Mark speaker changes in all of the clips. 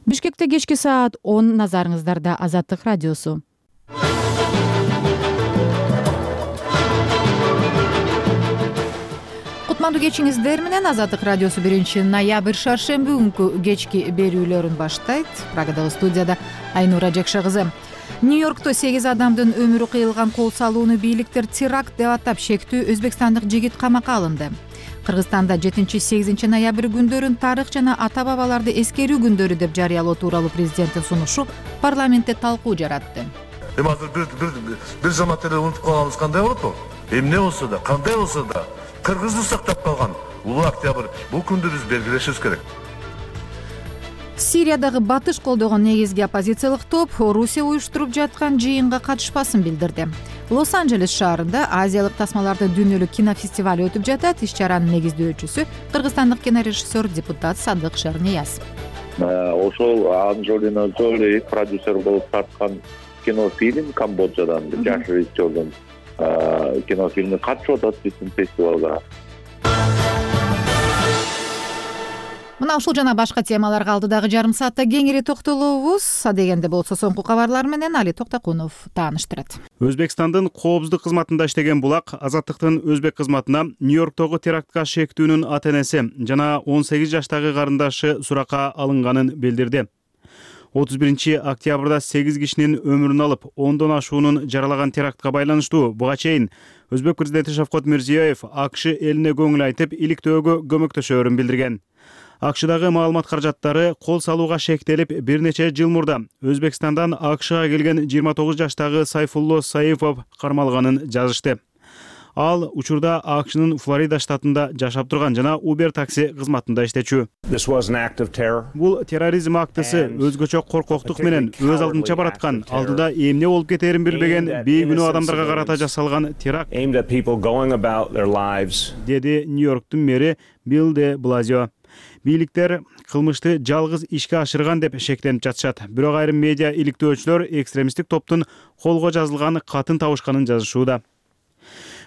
Speaker 1: Бишкекте кечки саат 10 назарыңыздарда Азаттык радиосу. Кутмандуу кечиңиздер менен Азаттык радиосу 1-ноябрь шаршемби күнкү кечки берүүлөрүн баштайт. Прагадагы студияда Айнура Жакша кызы. Нью-Йоркто 8 адамдын өмүрү кыйылган кол салууну бийликтер теракт деп атап шектүү өзбекстандык жигит камакка алынды. Кыргызстанда 7-8 ноябрь күндөрүн тарых жана ата-бабаларды эскерүү күндөрү деп жарыялоо тууралуу президенттин сунушу парламентте талкуу жаратты.
Speaker 2: Азыр бир замат эле унутуп калганыбыз кандай болот? Эмне болсо да, кандай болсо да кыргызды сактап калган улуу октябрь бул күндү биз белгилешибиз керек.
Speaker 1: Сириядагы батыш колдогон негизги оппозициялык топ Орусия уюштуруп жаткан жыйынга катышпасын билдирди. Лос-Анджелес шаарында азиялык тасмаларды дүйнөлүк кинофестиваль өтүп жатат. Иш-чаранын негиздөөчүсү кыргызстандык кинорежиссер, депутат Садык Шарнияз.
Speaker 3: Ошол Анджелина Джоли продюсер болуп тарткан кинофильм Камбоджадан жаш режиссердун кинофильми катышып атат биздин фестивалга.
Speaker 1: Мына ушул жана башка темаларга алдыдагы жарым саатта кеңири токтолобуз. Адегенде болсо соңку кабарлар менен Али Токтакунов тааныштырат.
Speaker 4: Өзбекстандын коопсуздук кызматында иштеген булак Азаттыктын өзбек кызматына Нью-Йорктогу терактка шектүүнүн ата-энеси жана 18 жаштагы карындашы суракка алынганын билдирди. 31 октябрда 8 кишинин өмүрүн алып, 10дон ашуунун жаралаган терактка байланыштуу буга чейин Өзбек президенти Шавкат Мирзиёев АКШ элине көңүл айтып, иликтөөгө көмөктөшөөрүн билдирген. АКШдагы маалымат каражаттары кол салууга шектелип, бир нече жыл мурда Өзбекстандан АКШга келген 29 жаштагы Сайфулло Саифов кармалганын жазышты. Ал учурда АКШнын Флорида штатында жашап турган жана Uber такси кызматында иштечү. Бул терроризм актысы өзгөчө коркоктук менен өз алдынча бараткан, алдыда эмне болуп кетерин билбеген бейгүнөө адамдарга карата жасалган теракт, деди Нью-Йорктун мэри Билл де Блазио. Бийликтер кылмышты жалгыз ишке ашырган деп шектенип жатышат. Бирок айрым медиа иликтөөчүлөр экстремисттик топтун колго жазылган катын табышканын жазышууда.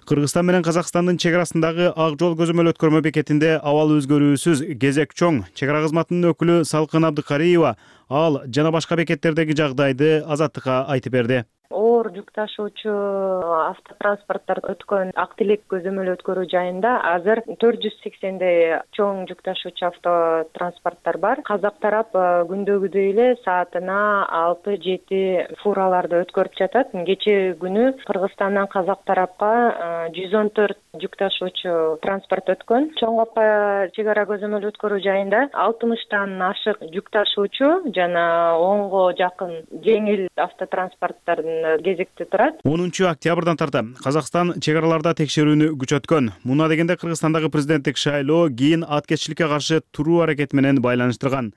Speaker 4: Кыргызстан менен Казакстандын чек арасындагы Ак жол көзөмөл өткөрмө бекетинде абал өзгөрүүсүз кезек чоң. Чек ара кызматынын өкүлү Салкын Абдыкариева ал жана башка бекеттердеги жагдайды Азаттыкка айтып берди.
Speaker 5: Оор жүк ташуучу автотранспорттор өткөн Ак Тилек көзөмөл өткөрүү жайында азыр 480дей чоң жүк ташуучу автотранспорттор бар. Казак тарап күндөгүдөй эле саатына 6-7 фураларды өткөрүп жатат. Кечээ күнү Кыргызстандан Казак тарапка 114 жүк ташуучу транспорт өткөн. Чоң Капка чек ара көзөмөл өткөрүү жайында 60тан ашык жүк ташуучу жана 10го жакын жеңил автотранспорттардын кезекте турат.
Speaker 4: 10 октябрдан тарта Казакстан чек араларда текшерүүнү күчөткөн. Муна дегенде Кыргызстандагы президенттик шайлоо кийин аткечиликке каршы туруу аракети менен байланыштырган.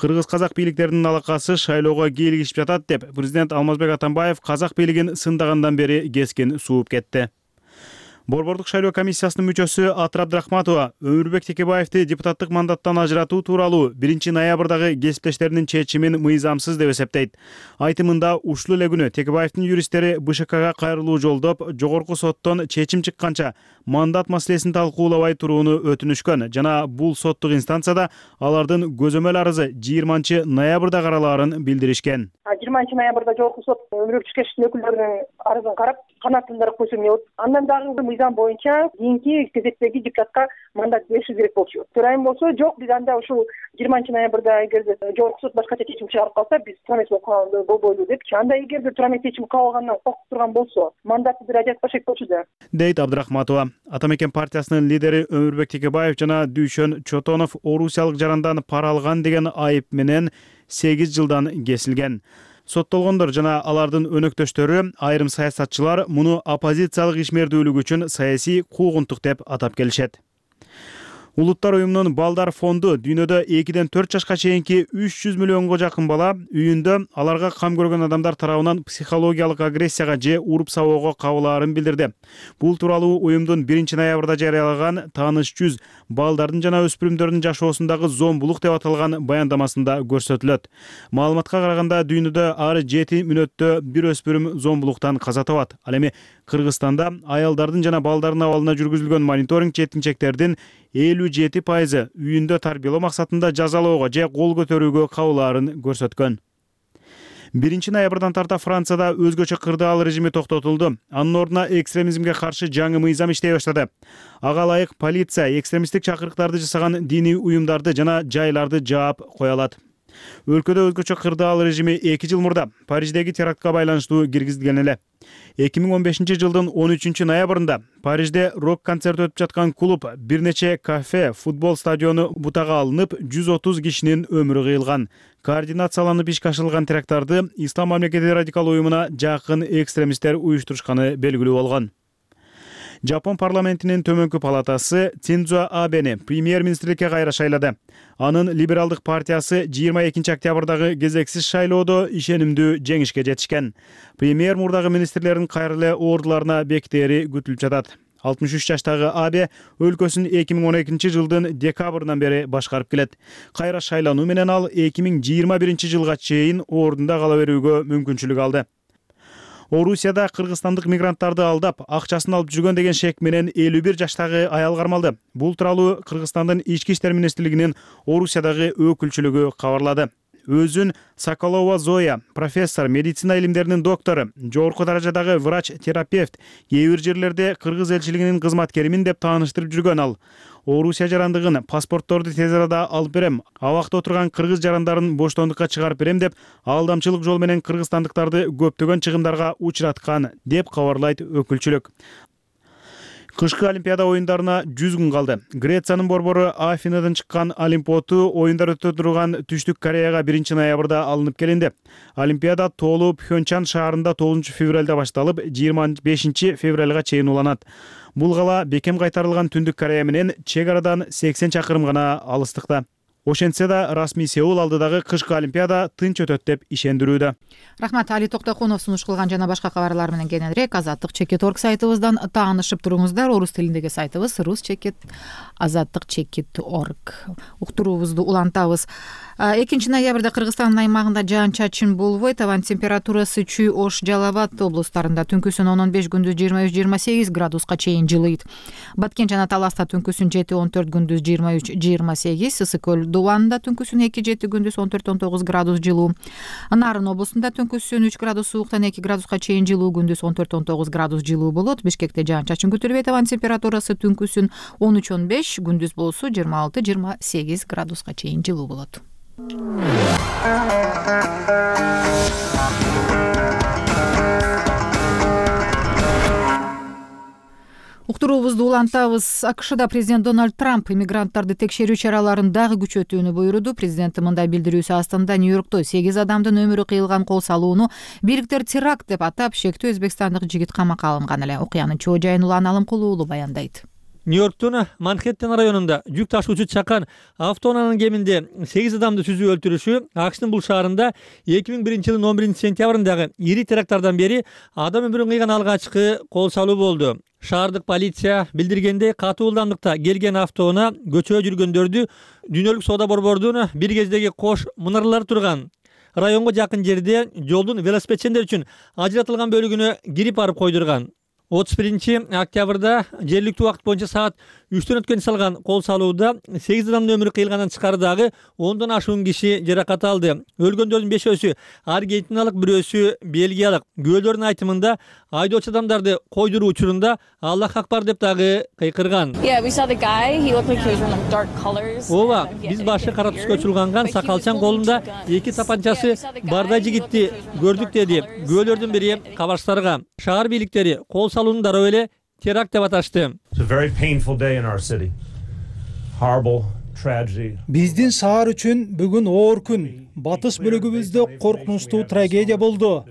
Speaker 4: Кыргыз-казак бийликтеринин алакасы шайлоого кийлигишип жатат деп президент Алмазбек Атамбаев казак бийлигин сындагандан бери кескин сууп кетти. Борбордук шайлоо комиссиясынын мүчөсү Атыр Абдрахматова Өмүрбек Текебаевди депутаттык мандаттан ажыратуу тууралуу 1-ноябрдагы кесиптештеринин чечимин мыйзамсыз деп эсептейт. Айтымында ушул эле күнү Текебаевдин юристтери БШКга кайрылуу жолдоп, жогорку соттон чечим чыкканча мандат маселесин талкуулабай турууну өтүнүшкөн жана бул соттук инстанцияда алардын көзөмөл арызы 20 ноябрда каралаарын билдиришкен.
Speaker 6: 20 ноябрда жогорку сот Өмүрбек Текебаевдин өкүлдөрүнүн арызын карап, канааттандырып койсо эмне болот? Андан дагы мыйзам боюнча кийинки кезектеги депутатка мандат бериши керек болчу. Төрайым болсо, жок, биз анда ушул 20 ноябрда эгерде жогорку сот башкача чечим чыгарып калса, биз турамет болбойлу депчи. Анда эгерде турамет чечим кабыл алгандан коркуп турган болсо, мандатты бир ажыратпаш керек болчу да.
Speaker 4: Дейт Абдрахматова. Атамекен партиясынын лидери Өмүрбек Текебаев жана Дүйшөн Чотонов орусиялык жарандан пара алган деген айып менен 8 жылдан кесилген. Соттолгондор жана алардын өнөктөштөрү, айрым саясатчылар муну оппозициялык ишмердүүлүк үчүн саясий куугунтук деп атап келишет. Улуттар уюмунун Балдар фонду дүйнөдө 2-4 жашка чейинки 300 миллионго жакын бала үйүндө аларга кам көргөн адамдар тарабынан психологиялык агрессияга же уруп сабоого кабылаарын билдирди. Бул тууралуу уюмдун 1-ноябрда жарыялаган Тааныш жүз балдардын жана өспүрүмдөрдүн жашоосундагы зомбулук деп аталган баяндамасында көрсөтүлөт. Маалыматка караганда дүйнөдө ар 7 мүнөттө бир өспүрүм зомбулуктан каза табат. Ал эми Кыргызстанда аялдардын жана балдардын абалына жүргүзүлгөн мониторинг жетинчектердин 57% үйүндө тарбиялоо максатында жазалоого же кол көтөрүүгө кабылаарын көрсөткөн. 1-ноябрдан тарта Францияда өзгөчө кырдаал режими токтотулду. Анын ордуна экстремизмге каршы жаңы мыйзам иштей баштады. Ага ылайык полиция экстремисттик чакырыктарды жасаган диний уюмдарды жана жайларды жаап кое алат. Өлкөдө өзгөчө кырдаал режими 2 жыл мурда Париждеги терактка байланыштуу киргизилген эле. 2015 жылдын 13 ноябрында Парижде рок-концерт өтүп жаткан клуб, бир нече кафе, футбол стадиону бутага алынып, 130 кишинин өмүрү кыйылган. Координацияланып ишке ашырылган теракттарды Ислам мамлекети радикал уюмуна жакын экстремисттер уюштурушканы белгилүү болгон. Жапон парламентинин төмөнкү палатасы Синдзо Абени премьер-министрликке кайра шайлады. Анын либералдык партиясы 22 октябрдагы кезексиз шайлоодо ишенимдүү жеңишке жетишкен. Премьер мурдагы министрлердин кайра эле ордуларына бекитери күтүлүп жатат. 63 жаштагы Абе өлкөсүн 2012 жылдын декабрынан бери башкарып келет. Кайра шайлануу менен ал 2021 жылга чейин ордунда кала берүүгө мүмкүнчүлүк алды. Орусияда кыргызстандык мигранттарды алдап, акчасын алып жүргөн деген шек менен 51 жаштагы аял кармалды. Бул тууралуу Кыргызстандын ички иштер министрлигинин Орусиядагы өкүлчүлүгү кабарлады. Өзүн Соколова Зоя, профессор, медицина илимдеринин доктору, жогорку даражадагы врач-терапевт, кээ бир жерлерде кыргыз элчилигинин кызматкеримин деп тааныштырып жүргөн ал. Орусия жарандыгын, паспортторду тез арада алып берем, абакта отурган кыргыз жарандарын боштондукка чыгарып берем деп алдамчылык жол менен кыргызстандыктарды көптөгөн чыгымдарга учураткан деп кабарлайт өкүлчүлүк. Кышкы Олимпиада оюндарына 100 күн калды. Грециянын борбору Афинадан чыккан Олимпиоду оюндар өтө турган Түштүк Кореяга 1 ноябрда алынып келинди. Олимпиада тоолуу Пхенчан шаарында 9 февралда башталып, 25 февралга чейин уланат. Бул кала бекем кайтарылган Түндүк Корея менен чек арадан 80 чакырым гана алыстыкта. Ошентсе да расмий Сеул алдыдагы кышкы Олимпиада тынч өтөт деп ишендирүүдө.
Speaker 1: Рахмат, Али Токтокунов сунуш кылган жана башка кабарлар менен кененирээк Азаттык.org сайтыбыздан таанышып туруңуздар. Орус тилиндеги сайтыбыз rus.azаттык.org. Уктуруубузду улантабыз. 2 ноябрда Кыргызстандын аймагында жаан-чачын болбойт. Абан температурасы Чүй, Ош, Жалал Абад облустарында түнкүсүн 10-15, күндүз 23-28 градуска чейин жылыйт. Баткен жана Таласта түнкүсүн 7-14, күндүз 23-28, Ысык көл Дубанда түнкүсүн 2-7, күндүз 14-19 градус жылуу. Нарын облусунда түнкүсүн 3 градус сууктан 2 градуска чейин жылуу, күндүз 14-19 градус жылуу болот. Бишкекте жаан-чачын күтүлбөйт. Абан температурасы түнкүсүн 13-15, күндүз болсо 26-28 градуска чейин жылуу болот. Уктуруубузду улантабыз. АКШда президент Дональд Трамп иммигранттарды текшерүү чараларын дагы күчөтүүнү буйруду. Президент мындай билдирүүсү астында Нью-Йоркто 8 адамдын өмүрү кыйылган кол салууну бириктер теракт деп атап, шектүү өзбекстандык жигит камакка алынган эле. Окуянын чоо жайын Улан Алымкулуу баяндайт.
Speaker 7: Нью-Йорктун Манхэттен районунда жүк ташуучу чакан автоунаанын кеминде 8 адамды түзүү өлтүрүшү АКШтын бул шаарында 2001 жылдын 11 сентябрындагы ири теракттардан бери адам өмүрүн кыйган алгачкы кол салуу болду. Шаардык полиция билдиргендей, катуу ылдамдыкта келген автоунаа көчөгө жүргөндөрдү дүйнөлүк соода борбордун бир кездеги кош мунаралары турган районго жакын жерде жолдун велосипедчендер үчүн ажыратылган бөлүгүнө кирип барып койдурган. 31 октябрда жергиликтүү убакыт боюнча саат 3-төн өткөн салган кол салууда 8 адамдын өмүрү кыйылгандан тышкары дагы 10дон ашуун киши жаракат алды. Өлгөндөрдүн 5-өсү аргентиналык, бирөөсү бельгиялык. Күбөлөрдүн айтымында айдоочу адамдарды койдуруу учурунда Аллах акбар деп дагы кыйкырган. Ооба, биз башы кара түскө чулганган сакалчан колунда 2 тапанчасы бардай жигитти көрдүк, деди күбөлөрдүн бири кабарчтарга. Шаар бийликтери кол салууну дароо эле теракт деп аташты.
Speaker 8: Биздин шаар үчүн бүгүн оор күн. Батыш бөлүгүбүздө коркунучтуу трагедия болду.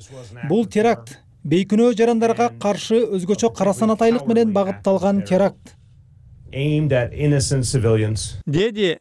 Speaker 8: Бул теракт бейкүнөө жарандарга каршы өзгөчө кара санатайлык менен багытталган теракт.
Speaker 7: Деди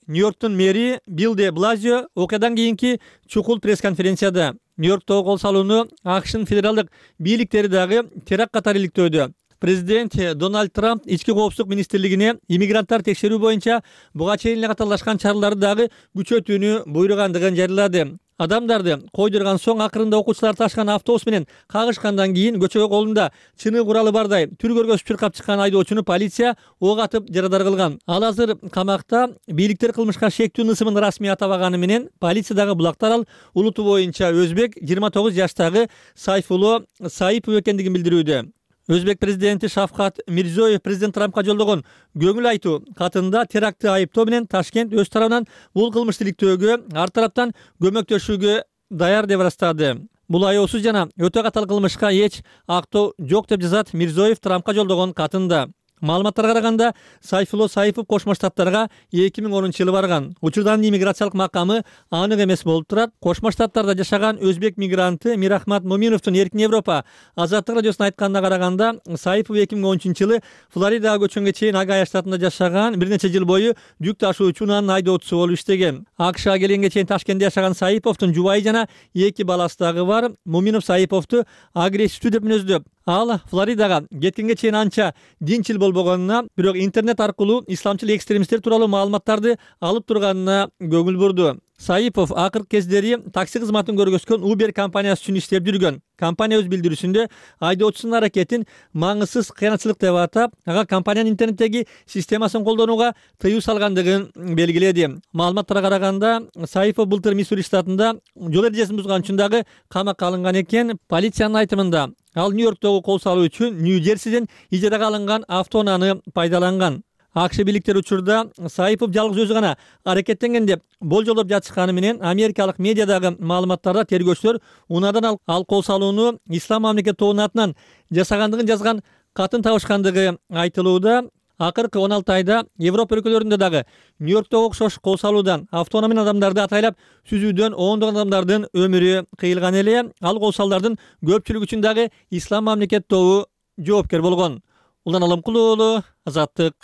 Speaker 7: Нью-Йорктун мэри Билл де Блазио окуядан кийинки чукул пресс-конференцияда. Нью-Йорктогу кол салууну АКШтын федералдык бийликтери дагы теракт катары иликтөөдө. Президент Дональд Трамп ички коопсуздук министрлигине иммигранттар текшерүү боюнча буга чейин эле катарлашкан чараларды дагы күчөтүүнү буйругандыгын жарыялады. Адамдарды койдурган соң акырында окуучулар ташкан автобус менен кагышкандан кийин көчөгө колунда чыны куралы бардай түр көргөзүп чуркап чыккан айдоочуну полиция ок атып жарадар кылган. Ал азыр камакта. Бийликтер кылмышка шектүү нысымын расмий атабаганы менен полициядагы булактар ал улуту боюнча өзбек 29 жаштагы Сайфулло Саипов экендигин билдирүүдө. Өзбек президенти Шавкат Мирзиёев президент Трампка жолдогон көңүл айтуу катында терактты айыптоо менен Ташкент өз тарабынан бул кылмышты иликтөөгө ар тараптан көмөктөшүүгө даяр деп ырастады. Бул аеосуз жана өтө катал кылмышка эч актоо жок деп жазат Мирзиёев Трампка жолдогон катында. Маалыматтарга караганда Сайфулло Саипов Кошмо Штаттарга 2010-жылы барган. Учурдан иммиграциялык макамы анык эмес болуп турат. Кошмо Штаттарда жашаган өзбек мигранты Мирахмат Моминовдун Эркин Европа азаттык радиосуна айтканына караганда, Саипов 2013-жылы Флоридага көчкөнгө чейин Огайо штатында жашаган, бир нече жыл бою жүк ташуучу унаанын айдоочусу болуп иштеген. АКШга келгенге чейин Ташкентте жашаган Саиповдун жубайы жана 2 баласы дагы бар. Моминов Саиповду агрессивдүү деп мүнөздөп, ал Флоридага кеткенге чейин анча динчил болбогонуна, бирок интернет аркылуу исламчыл экстремисттер тууралуу маалыматтарды алып турганына көңүл бурду. Саипов акыркы кездери такси кызматын көргөзгөн Uber компаниясы үчүн иштеп жүргөн. Компания өз билдирүүсүндө айдоочусунун аракетин маңызсыз кыянатчылык деп атап, ага компаниянын интернеттеги системасын колдонууга тыюу салгандыгын белгиледи. Маалыматтарга караганда, Саипов былтыр Миссури штатында жол эрежесин бузган үчүн дагы камакка алынган экен. Полициянын айтымында, ал Нью-Йорктогу кол салуу үчүн Нью-Джерсиден ижарага алынган автоунааны пайдаланган. АКШ бийликтери учурда Саипов жалгыз өзү гана аракеттенген деп болжолдоп жатышканы менен америкалык медиадагы маалыматтарда тергөөчүлөр унаадан ал кол салууну Ислам мамлекет тобунун атынан жасагандыгын жазган катын табышкандыгы айтылууда. Акыркы 16 айда Европа өлкөлөрүндө дагы Нью-Йорктогу окшош кол салуудан, автоунаа менен адамдарды атайлап сүзүүдөн ондогон адамдардын өмүрү кыйылган эле. Ал кол салуулардын көпчүлүгү үчүн дагы Ислам мамлекет тобу жоопкер болгон. Улан Алымкулуу уулу, Азаттык.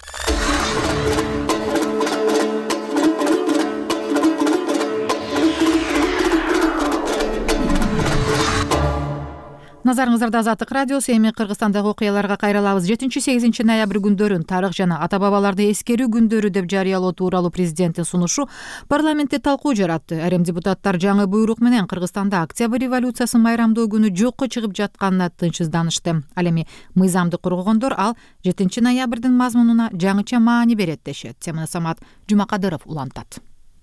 Speaker 1: Назарыңыздарда Азаттык радиосу. Эми Кыргызстандагы окуяларга кайрылабыз. 7-8 ноябрь күндөрүн тарых жана ата бабаларды эскерүү күндөрү деп жарыялоо тууралуу президенттин сунушу парламентте талкуу жаратты. Айрым депутаттар жаңы буйрук менен Кыргызстанда Октябрь революциясын майрамдоо күнү жокко чыгып жатканына тынчсызданышты. Ал эми мыйзамды коргогондор ал 7 ноябрдын мазмунуна жаңыча маани берет дешет. Теманы Самат Жумакадыров улантат.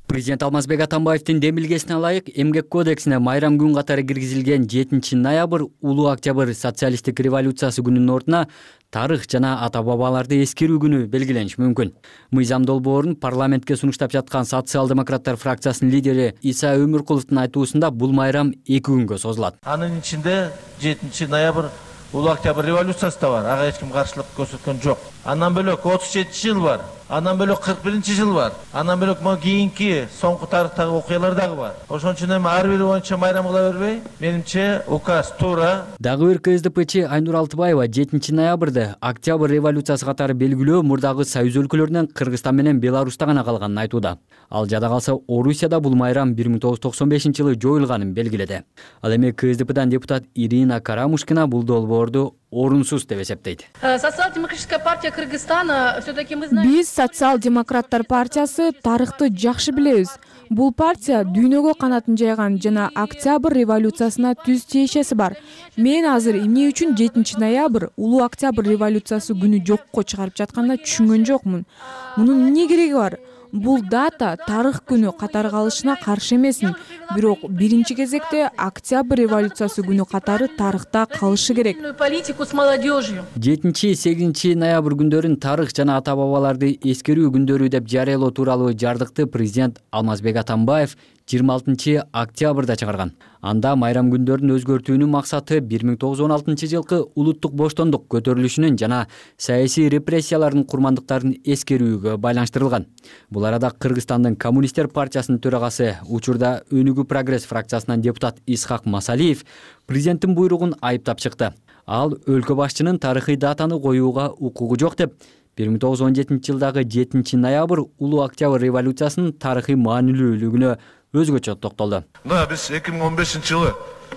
Speaker 9: Президент Алмазбек Атамбаевдин демилгесине ылайык Эмгек кодексине майрам күн катары киргизилген 7 ноябрь Улуу Октябрь социалисттик революциясы күнүнүн ордуна тарых жана ата бабаларды эскерүү күнү белгилениши мүмкүн. Мыйзам долбоорун парламентке сунуштап жаткан социал-демократтар фракциясынын лидери Иса Өмүркуловдун айтуусунда бул майрам 2 күнгө созулат.
Speaker 10: Анын ичинде 7 ноябрь Улуу Октябрь революциясы да бар. Ага эч ким каршылык көрсөткөн жок. Андан бөлөк 37 жыл бар. Андан бөлөк 41-жыл бар. Андан бөлөк могу кийинки соңку тарыхтагы окуялар дагы бар. Ошон үчүн эми ар бири боюнча майрам кыла бербей, менимче указ туура.
Speaker 9: Дагы бир КСДПчи Айнур Алтыбаева 7 ноябрда Октябрь революциясы катары белгилөө мурдагы союз өлкөлөрүнөн Кыргызстан менен Беларуста гана калганын айтууда. Ал жада калса Орусияда бул майрам 1995-жылы жоюлганын белгиледи. Ал эми КСДПдан депутат Ирина Карамушкина бул долбоорду орунсуз деп эсептейт.
Speaker 11: Социал-демократическая партия Кыргызстана все-таки мы знаем. Биз социал-демократтар партиясы тарыхты жакшы билебиз. Бул партия дүйнөгө канатын жайган жана Октябрь революциясына түз тиешеси бар. Мен азыр эмне үчүн 7 ноябрь Улуу Октябрь революциясы күнү жокко чыгарып жатканда түшүнгөн жокмун. Мунун эмне кереги бар? Бул дата тарых күнү катары калышына каршы эмесмин, бирок биринчи кезекте Октябрь революциясы күнү катары тарыхта калышы керек.
Speaker 9: 7-8 ноябрь күндөрүн тарых жана ата бабаларды эскерүү күндөрү деп жарыялоо тууралуу жардыкты президент Алмазбек Атамбаев 26 октябрда чыгарган. Анда майрам күндөрүн өзгөртүүнүн максаты 1916-жылкы улуттук боштондук көтөрүлүшүнүн жана саясий репрессиялардын курмандыктарын эскерүүгө байланыштырылган. Бул арада Кыргызстандын коммунисттер партиясынын төрагасы, учурда Өнүгүү прогресс фракциясынан депутат Исхак Масалиев президенттин буйругун айыптап чыкты. Ал өлкө башчынын тарыхый датаны коюуга укугу жок деп 1917-жылдагы 7 ноябрь Улуу Октябрь революциясынын тарыхый маанилүүлүгүнө өзгөчө токтолду.
Speaker 2: Мына биз 2015-жылы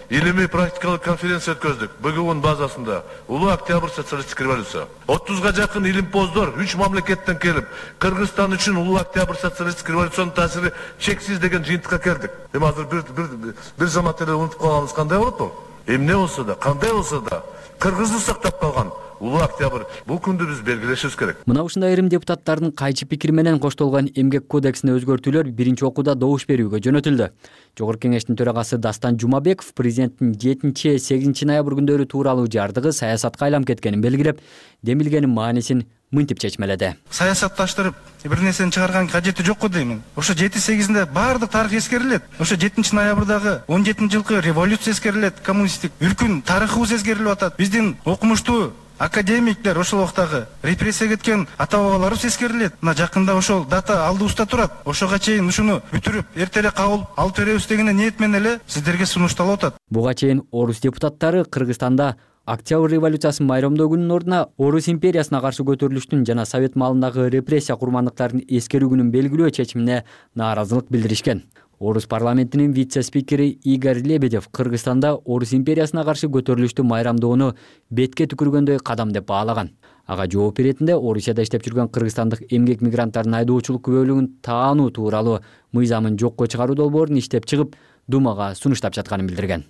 Speaker 2: илимий практикалык конференция өткөздүк. БГУнун базасында улуу октябрь социалисттик революция. 30га жакын илимпоздор 3 мамлекеттен келип, Кыргызстан үчүн улуу октябрь социалисттик революциянын таасири чексиз деген жыйынтыкка келдик. Эми азыр бир замат эле унутуп калганыбыз кандай болот бул? Эмне болсо да, кандай болсо да кыргызды сактап калган улуу октябрь бул күндү биз белгилешибиз керек.
Speaker 9: Мына ушундай айрым депутаттардын кайчы пикири менен коштолгон эмгек кодексине өзгөртүүлөр биринчи окууда добуш берүүгө жөнөтүлдү. Жогорку кеңештин төрагасы Дастан Жумабеков президенттин 7-8 ноябрь күндөрү тууралуу жардыгы саясатка айланып кеткенин белгилеп, демилгенин маанисин мынтип чечмеледи.
Speaker 12: Саясатташтырып бир нерсени чыгарган кажети жокко деймин. Ошо 7-8-inde баардык тарых эскерилет. Ошо 7 ноябрдагы 17-жылкы революция эскерилет, коммунисттик үлкүн тарыхыбыз эскерилип атат. Биздин окумуштуу академиктер ошол убактагы репрессия кеткен ата бабаларыбыз эскерилет. Мына жакында ошол дата алдыбызда турат. Ошого чейин ушуну бүтүрүп, эртерээк кабыл алып беребиз деген ниет менен эле сиздерге сунушталып атат.
Speaker 9: Буга чейин орус депутаттары Кыргызстанда Октябрь революциясын майрамдоо күнүнүн ордуна Орус империясына каршы көтөрүлүштүн жана совет маалындагы репрессия курмандыктарын эскерүү күнүн белгилөө чечимине нааразылык билдиришкен. Орус парламентинин вице-спикери Игорь Лебедев Кыргызстанда Орус империясына каршы көтөрүлүштү майрамдоону бетке түкүргөндөй кадам деп баалаган. Ага жооп беретинде Орусияда иштеп жүргөн кыргызстандык эмгек мигранттардын айдоочулук күбөлүгүн таануу тууралуу мыйзамын жокко чыгаруу долбоорун иштеп чыгып, Думага сунуштап жатканын билдирген.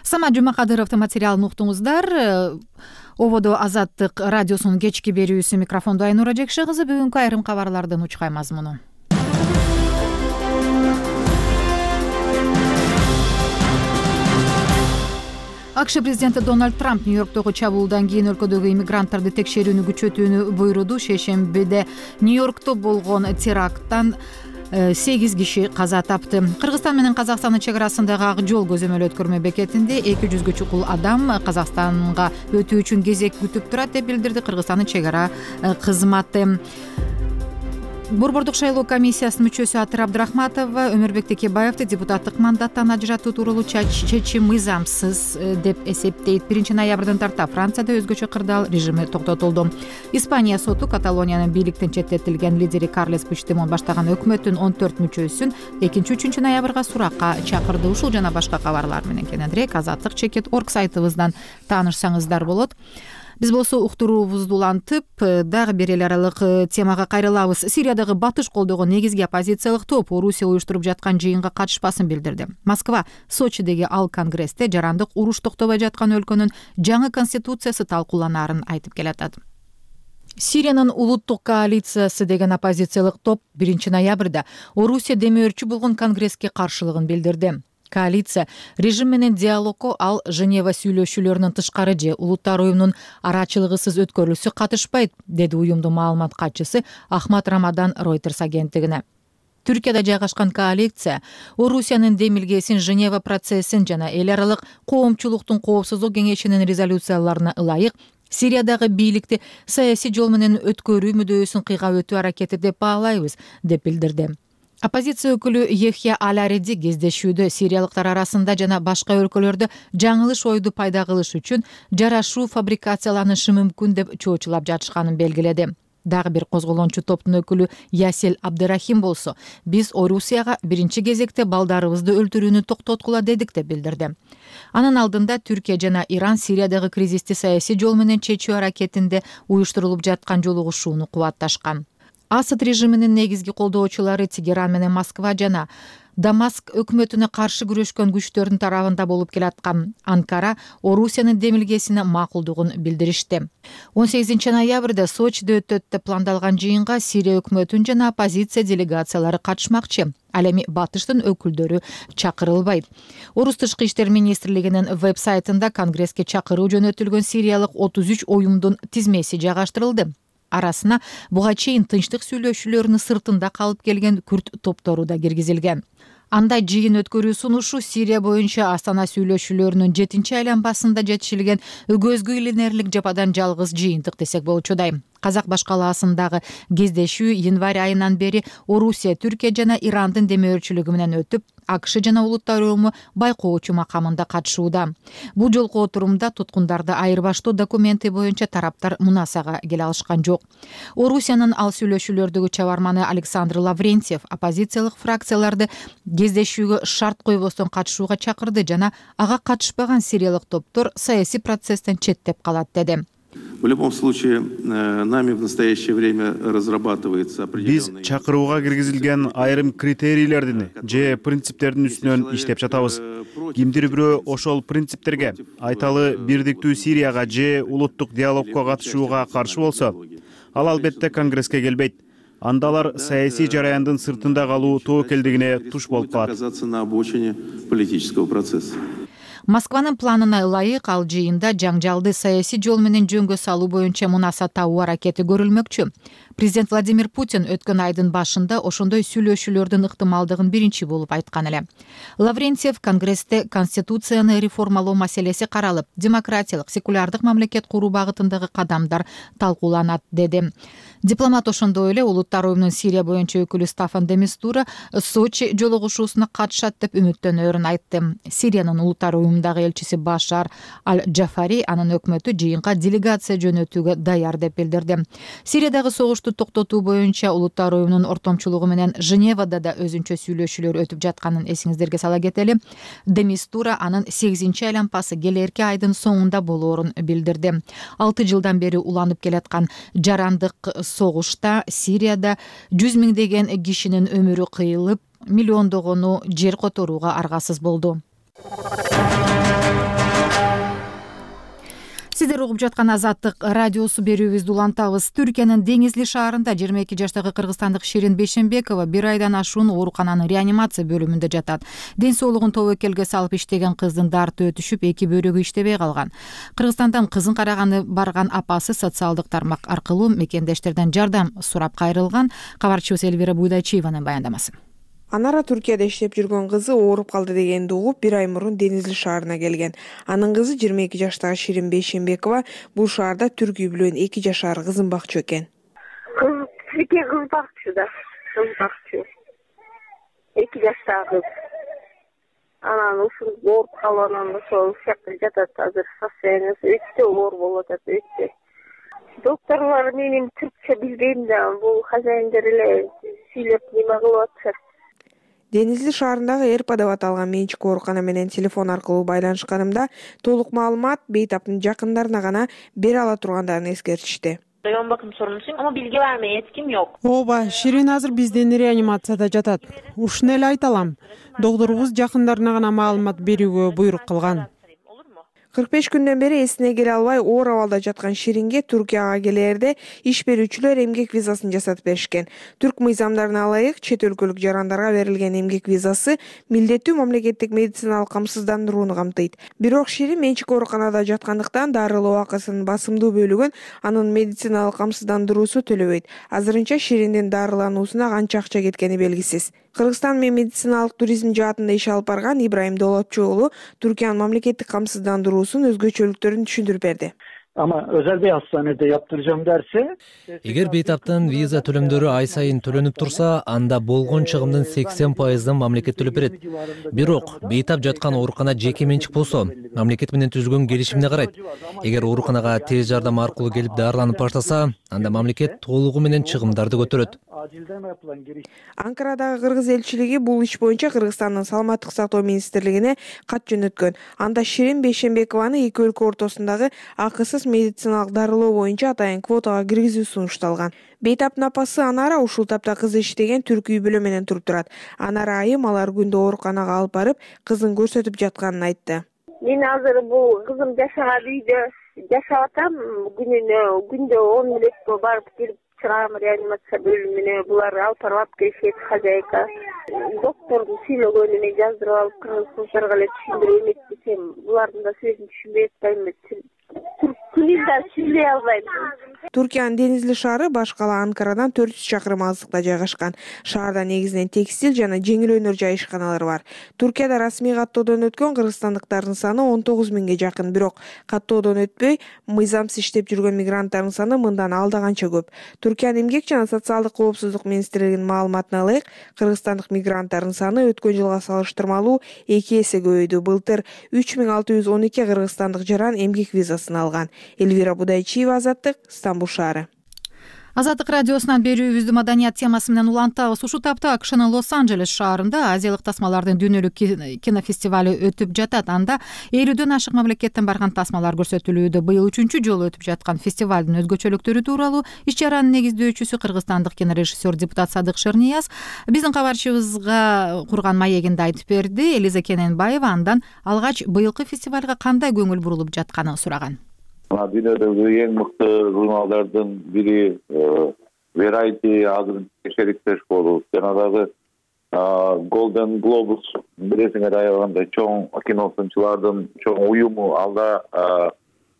Speaker 1: Самат Жумакадыровдун материалын уктуңуздар. Ободо Азаттык радиосунун кечки берүүсү, микрофондо Айнура Жекше кызы. Бүгүнкү айрым кабарлардын учкай мазмуну. АКШ президенти Дональд Трамп Нью-Йорктогу чабуулдан кийин өлкөдөгү иммигранттарды текшерүүнү күчөтүүнү буйруду. Шейшембиде Нью-Йоркто болгон теракттан 8 киши каза тапты. Кыргызстан менен Казакстандын чек арасындагы ак жол көзөмөл өткөрмө бекетинде 200гө чукул адам Казакстанга өтүү үчүн кезек күтүп турат деп билдирди Кыргызстандын чек ара кызматы. Борбордук шайлоо комиссиясынын мүчөсү Атыр Абдрахматова Өмүрбек Текебаевди депутаттык мандаттан ажыратуу тууралуу чечим мыйзамсыз деп эсептейт. 1 ноябрдан тарта Францияда өзгөчө кырдаал режими токтотулду. Испания соту Каталониянын бийликтен четтетилген лидери Карлес Пучдемон баштаган өкмөттүн 14 мүчөсүн 2-3 ноябрга суракка чакырды. Ушул жана башка кабарлар менен кененирээк azatlyk.org сайтыбыздан таанышсаңыздар болот. Биз болсо уктуруубузду улантып, дагы бир эл аралык темага кайрылабыз. Сириядагы батыш колдогон негизги оппозициялык топ Орусия уюштуруп жаткан жыйынга катышпасын билдирди. Москва Сочидеги ал конгрессте жарандык уруш токтобой жаткан өлкөнүн жаңы конституциясы талкууланаарын айтып келатат. Сириянын улуттук коалициясы деген оппозициялык топ 1 ноябрда Орусия демөөрчү болгон конгресске каршылыгын билдирди. Коалиция режим менен диалогко ал Женева сүйлөшүүлөрүнүн тышкары же улуттар уюмунун арачылыгысыз өткөрүлүшү катышпайт, деди уюмдун маалымат катчысы Ахмат Рамадан Reuters агенттигине. Түркияда жайгашкан коалиция Орусиянын демилгесин, Женева процессин жана эл аралык коомчулуктун коопсуздук кеңешинин резолюцияларына ылайык Сириядагы бийликти саясий жол менен өткөрүү мүдөөсүн кыйгап өтүү аракети деп баалайбыз, деп билдирди. Оппозиция өкүлү Ехья Алариди кездешүүдө сириялыктар арасында жана башка өлкөлөрдө жаңылыш ойду пайда кылыш үчүн жарашуу фабрикацияланышы мүмкүн деп чоочулап жатышканын белгиледи. Дагы бир козголоончу топтун өкүлү Ясел Абдырахим болсо, биз Орусияга биринчи кезекте балдарыбызды өлтүрүүнү токтоткула дедик деп билдирди. Анын алдында Түркия жана Иран Сириядагы кризисти саясий жол менен чечүү аракетинде уюштурулуп жаткан жолугушууну кубатташкан. Асад режиминин негизги колдоочулары Тегеран менен Москва жана Дамаск өкмөтүнө каршы күрөшкөн күчтөрдүн тарабында болуп келаткан Анкара Орусиянын демилгесине макулдугун билдиришти. 18 ноябрда Сочиде өтөт деп пландалган жыйынга Сирия өкмөтүнүн жана оппозиция делегациялары катышмакчы. Ал эми батыштын өкүлдөрү чакырылбайт. Орус тышкы иштер министрлигинин веб-сайтында конгресске чакыруу жөнөтүлгөн сириялык 33 уюмдун тизмеси жайгаштырылды. Арасына буга чейин тынчтык сүйлөшүүлөрүнүн сыртында калып келген күрд топтору да киргизилген. Андай жыйын өткөрүү сунушу Сирия боюнча Астана сүйлөшүүлөрүнүн 7-айланбасында жетишилген көзгө илинерлик жападан жалгыз жыйынтык десек болчудай. Казак башкалаасындагы кездешүү январь айынан бери Орусия, Түркия жана Ирандын демөөрчүлүгү менен өтүп, АКШ жана улуттар уюму байкоочу макамында катышууда. Бул жолку отурумда туткундарды айырбаштоо документи боюнча тараптар мунасага келе алышкан жок. Орусиянын ал сүйлөшүүлөрдөгү чабарманы Александр Лаврентьев оппозициялык фракцияларды кездешүүгө шарт койбостон катышууга чакырды жана ага катышпаган сириялык топтор саясий процесстен четтеп калат деди.
Speaker 13: В любом случае, нами в настоящее время разрабатывается определенный...
Speaker 4: Биз чакырууга киргизилген айрым критерийлердин же принциптердин үстүнөн иштеп жатабыз. Кимдир бирөө ошол принциптерге, айталы бирдиктүү Сирияга же улуттук диалогко катышууга каршы болсо, ал албетте Конгресске келбейт. Анда алар саясий жараяндын сыртында калуу тобокелдигине туш болуп калат.
Speaker 13: Оказаться на обочине политического процесса.
Speaker 1: Москванын планына ылайык ал жыйында жаңжалды саясий жол менен жөнгө салуу боюнча мунаса табуу аракети көрүлмөкчү. Президент Владимир Путин өткөн айдын башында ошондой сүйлөшүүлөрдүн ыктымалдыгын биринчи болуп айткан эле. Лаврентьев Конгрессте конституцияны реформалоо маселеси каралып, демократиялык, секулярдык мамлекет куруу багытындагы кадамдар талкууланат деди. Дипломат ошондой эле улуттар уюмунун Сирия боюнча өкүлү Стаффан де Мистура Сочи жолугушуусуна катышат деп үмүттөнөрүн айтты. Сириянын улуттар уюмундагы элчиси Башар Аль-Джафари анын өкмөтү жыйынга делегация жөнөтүүгө даяр деп билдирди. Сириядагы согушту токтотуу боюнча улуттар уюмунун ортомчулугу менен Женевада да өзүнчө сүйлөшүүлөр өтүп жатканын эсиңиздерге сала кетели. Де Мистура анын 8-чи айланпасы келерки айдын соңунда болоорун билдирди. 6 жылдан бери уланып келаткан жарандык согушта Сирияда 100 миңдеген кишинин өмүрү кыйылып, миллиондогону жер которууга аргасыз болду. Сиздер угуп жаткан Азаттык радиосу берүүбүздү улантабыз. Түркиянын Деңизли шаарында 22 жаштагы кыргызстандык Ширин Бейшенбекова 1 айдан ашуун оорукананын реанимация бөлүмүндө жатат. Ден соолугун тобокелге салып иштеген кыздын дарты өтүшүп, 2 бөйрөгү иштебей калган. Кыргызстандан кызын караганы барган апасы социалдык тармак аркылуу мекендештерден жардам сурап кайрылган. Кабарчыбыз Элвира Буйдачиеванын баяндамасы.
Speaker 14: Анара Түркияда иштеп жүргөн кызы ооруп калды дегенди угуп 1 ай мурун Деңизли шаарына келген. Анын кызы 22 жаштагы Ширин Бейшенбекова бул шаарда түрк үй бүлөнүн 2 жашар кызын бакчу экен.
Speaker 15: Кыз бакчу да, кыз бакчу. 2 жаштагы кыз. Анан ушул ооруп калгандан ошол жакта жатат азыр, состояниясы өтө оор болуп атат, өтө. Докторлор менин түркчө билбейм да, бул хозяиндер эле сүйлөп неме кылып атышат.
Speaker 14: Деңизли шаарындагы Эрпа деп аталган менчик оорукана менен телефон аркылуу байланышканымда толук маалымат бейтаптын жакындарына гана бере ала тургандарын эскертишти.
Speaker 15: Район бакым сорунусун, ама билге бармай, эч ким жок.
Speaker 16: Ооба, Ширин азыр бизден реанимацияда жатат. Ушуну эле айта алам. Доктурубуз жакындарына гана маалымат берүүгө буйрук кылган.
Speaker 14: 45 күндөн бери эсине келе албай оор абалда жаткан Ширинге Түркияга келээрде иш берүүчүлөр эмгек визасын жасатып беришкен. Түрк мыйзамдарына ылайык чет өлкөлүк жарандарга берилген эмгек визасы милдеттүү мамлекеттик медициналык камсыздандырууну камтыйт. Бирок Ширин менчик ооруканада жаткандыктан дарылоо акысынын басымдуу бөлүгүн анын медициналык камсыздандыруусу төлөбөйт. Азырынча Шириндин дарылануусуна канча акча кеткени белгисиз. Кыргызстан менен медициналык туризм жаатында иш алып барган Ибраим Долотчу уулу Түркиянын мамлекеттик камсыздандыруусунун өзгөчөлүктөрүн түшүндүрүп берди.
Speaker 17: Ama özel bir hastanede yaptıracağım derse...
Speaker 18: Eğer beytaptan viza төлөмдөрү ай сайын төлөнүп турса, анда болгон чыгымдын 80%-ын мамлекет төлөп берет. Бирок бейтап жаткан оорукана жеке менчик болсо, мамлекет менен түзүлгөн келишимди карайт. Эгер ооруканага тез жардам аркылуу келип дарыланып баштаса, анда мамлекет толугу менен чыгымдарды көтөрөт.
Speaker 14: Анкарадагы кыргыз элчилиги бул иш боюнча Кыргызстандын саламаттык сактоо министрлигине кат жөнөткөн. Анда Ширин Бейшенбекованы эки өлкө ортосундагы акысыз медициналык дарылоо боюнча атайын квотага киргизүү сунушталган. Бейтаптын апасы Анара ушул тапта кызы иштеген түрк үй бүлө менен туруп турат. Анара айым алар күндө ооруканага алып барып, кызын көрсөтүп жатканын айтты.
Speaker 15: Мен азыр бул кызым жашаган үйдө жашап атам. Күндө 10 мүнөткө барып келип чыгам реанимация бөлүмүнө. Булар алып барып келишет хозяйка. Доктордун сүйлөгөнүнө жаздырып алып кыргыз кыздарга эле түшүндүрүп эметсем, булардын да сөзүн түшүнбөй атпаймынбы? Түрк Күнүнөн сүйлөй албайм.
Speaker 14: Туркиянын деңизли шаары баш кала Анкарадан 400 чакырым алыстыкта жайгашкан. Шаарда негизинен текстил жана жеңил өнөр жай ишканалары бар. Туркияда расмий каттоодон өткөн кыргызстандыктардын саны 19 миңге жакын, бирок каттоодон өтпөй мыйзамсыз иштеп жүргөн мигранттардын саны мындан алда канча көп. Туркиянын эмгек жана социалдык коопсуздук министрлигинин маалыматына ылайык, кыргызстандык мигранттардын саны өткөн жылга салыштырмалуу 2 эсе көбөйдү. Былтыр 3612 кыргызстандык жаран эмгек визасын алган. Элвира Будайчиева, Азаттык, Стамбул шаары.
Speaker 1: Азаттык радиосунан берүүбүздү маданият темасы менен улантабыз. Ушул тапта АКШнын Лос-Анджелес шаарында Азиялык тасмалардын дүйнөлүк кинофестивали өтүп жатат. Анда 50дөн ашык мамлекеттен барган тасмалар көрсөтүлүүдө. Быйыл 3-чү жолу өтүп жаткан фестивалдын өзгөчөлүктөрү тууралуу иш чаранын негиздөөчүсү кыргызстандык кинорежиссер депутат Садык Шернияз биздин кабарчыбызга курган маегинде айтып берди. Элиза Кененбаева андан алгач быйылкы фестивалга кандай көңүл бурулуп жатканын сураган.
Speaker 3: Дүйнөдөгү эң мыкты журналдардын бири Variety азыр шериктеш болуп, жана дагы Golden Globus билесиңер аягында чоң киносунчулардын чоң уюму алда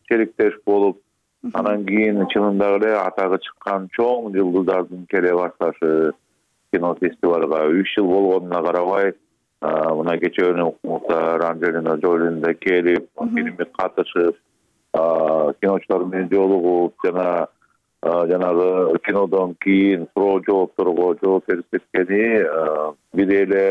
Speaker 3: шериктеш болуп, анан кийин чынында эле атагы чыккан чоң жылдыздардын келе башташы кинофестивалга 3 жыл болгонуна карабай, мына кечээ Мухтар Анжелина Джолин да келип, фильмге катышып, киночулар менен жолугуп, жанагы кинодон кийин суроо жоопторго жооп беришкени бир эле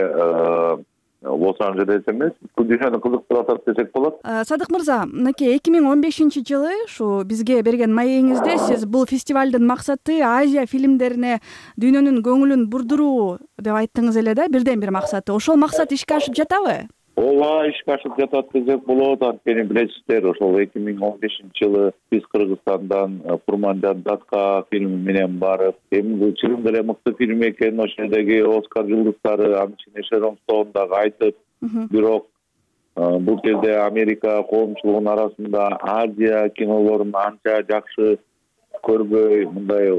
Speaker 3: Лос-Анджелес эмес, дүйнөнү кызыктырып атат десек болот.
Speaker 19: Садык мырза, мынакей 2015-жылы ушу бизге берген маегиңизде сиз бул фестивалдын максаты Азия фильмдерине дүйнөнүн көңүлүн бурдуруу деп айттыңыз эле да, бирден бир максаты. Ошол максат ишке ашып жатабы?
Speaker 3: Ооба, ишке ашып жатат десек болот. Анткени билесиздер, ошол 2015-жылы биз Кыргызстандан Курманжан Датка фильми менен барып, эми чынында эле мыкты фильм экен, ошол жердеги Оскар жылдыздары, анын ичинде Шерон Стоун дагы айтып, бирок бул жерде Америка коомчулугунун арасында Азия кинолорун анча жакшы көрбөй, мындай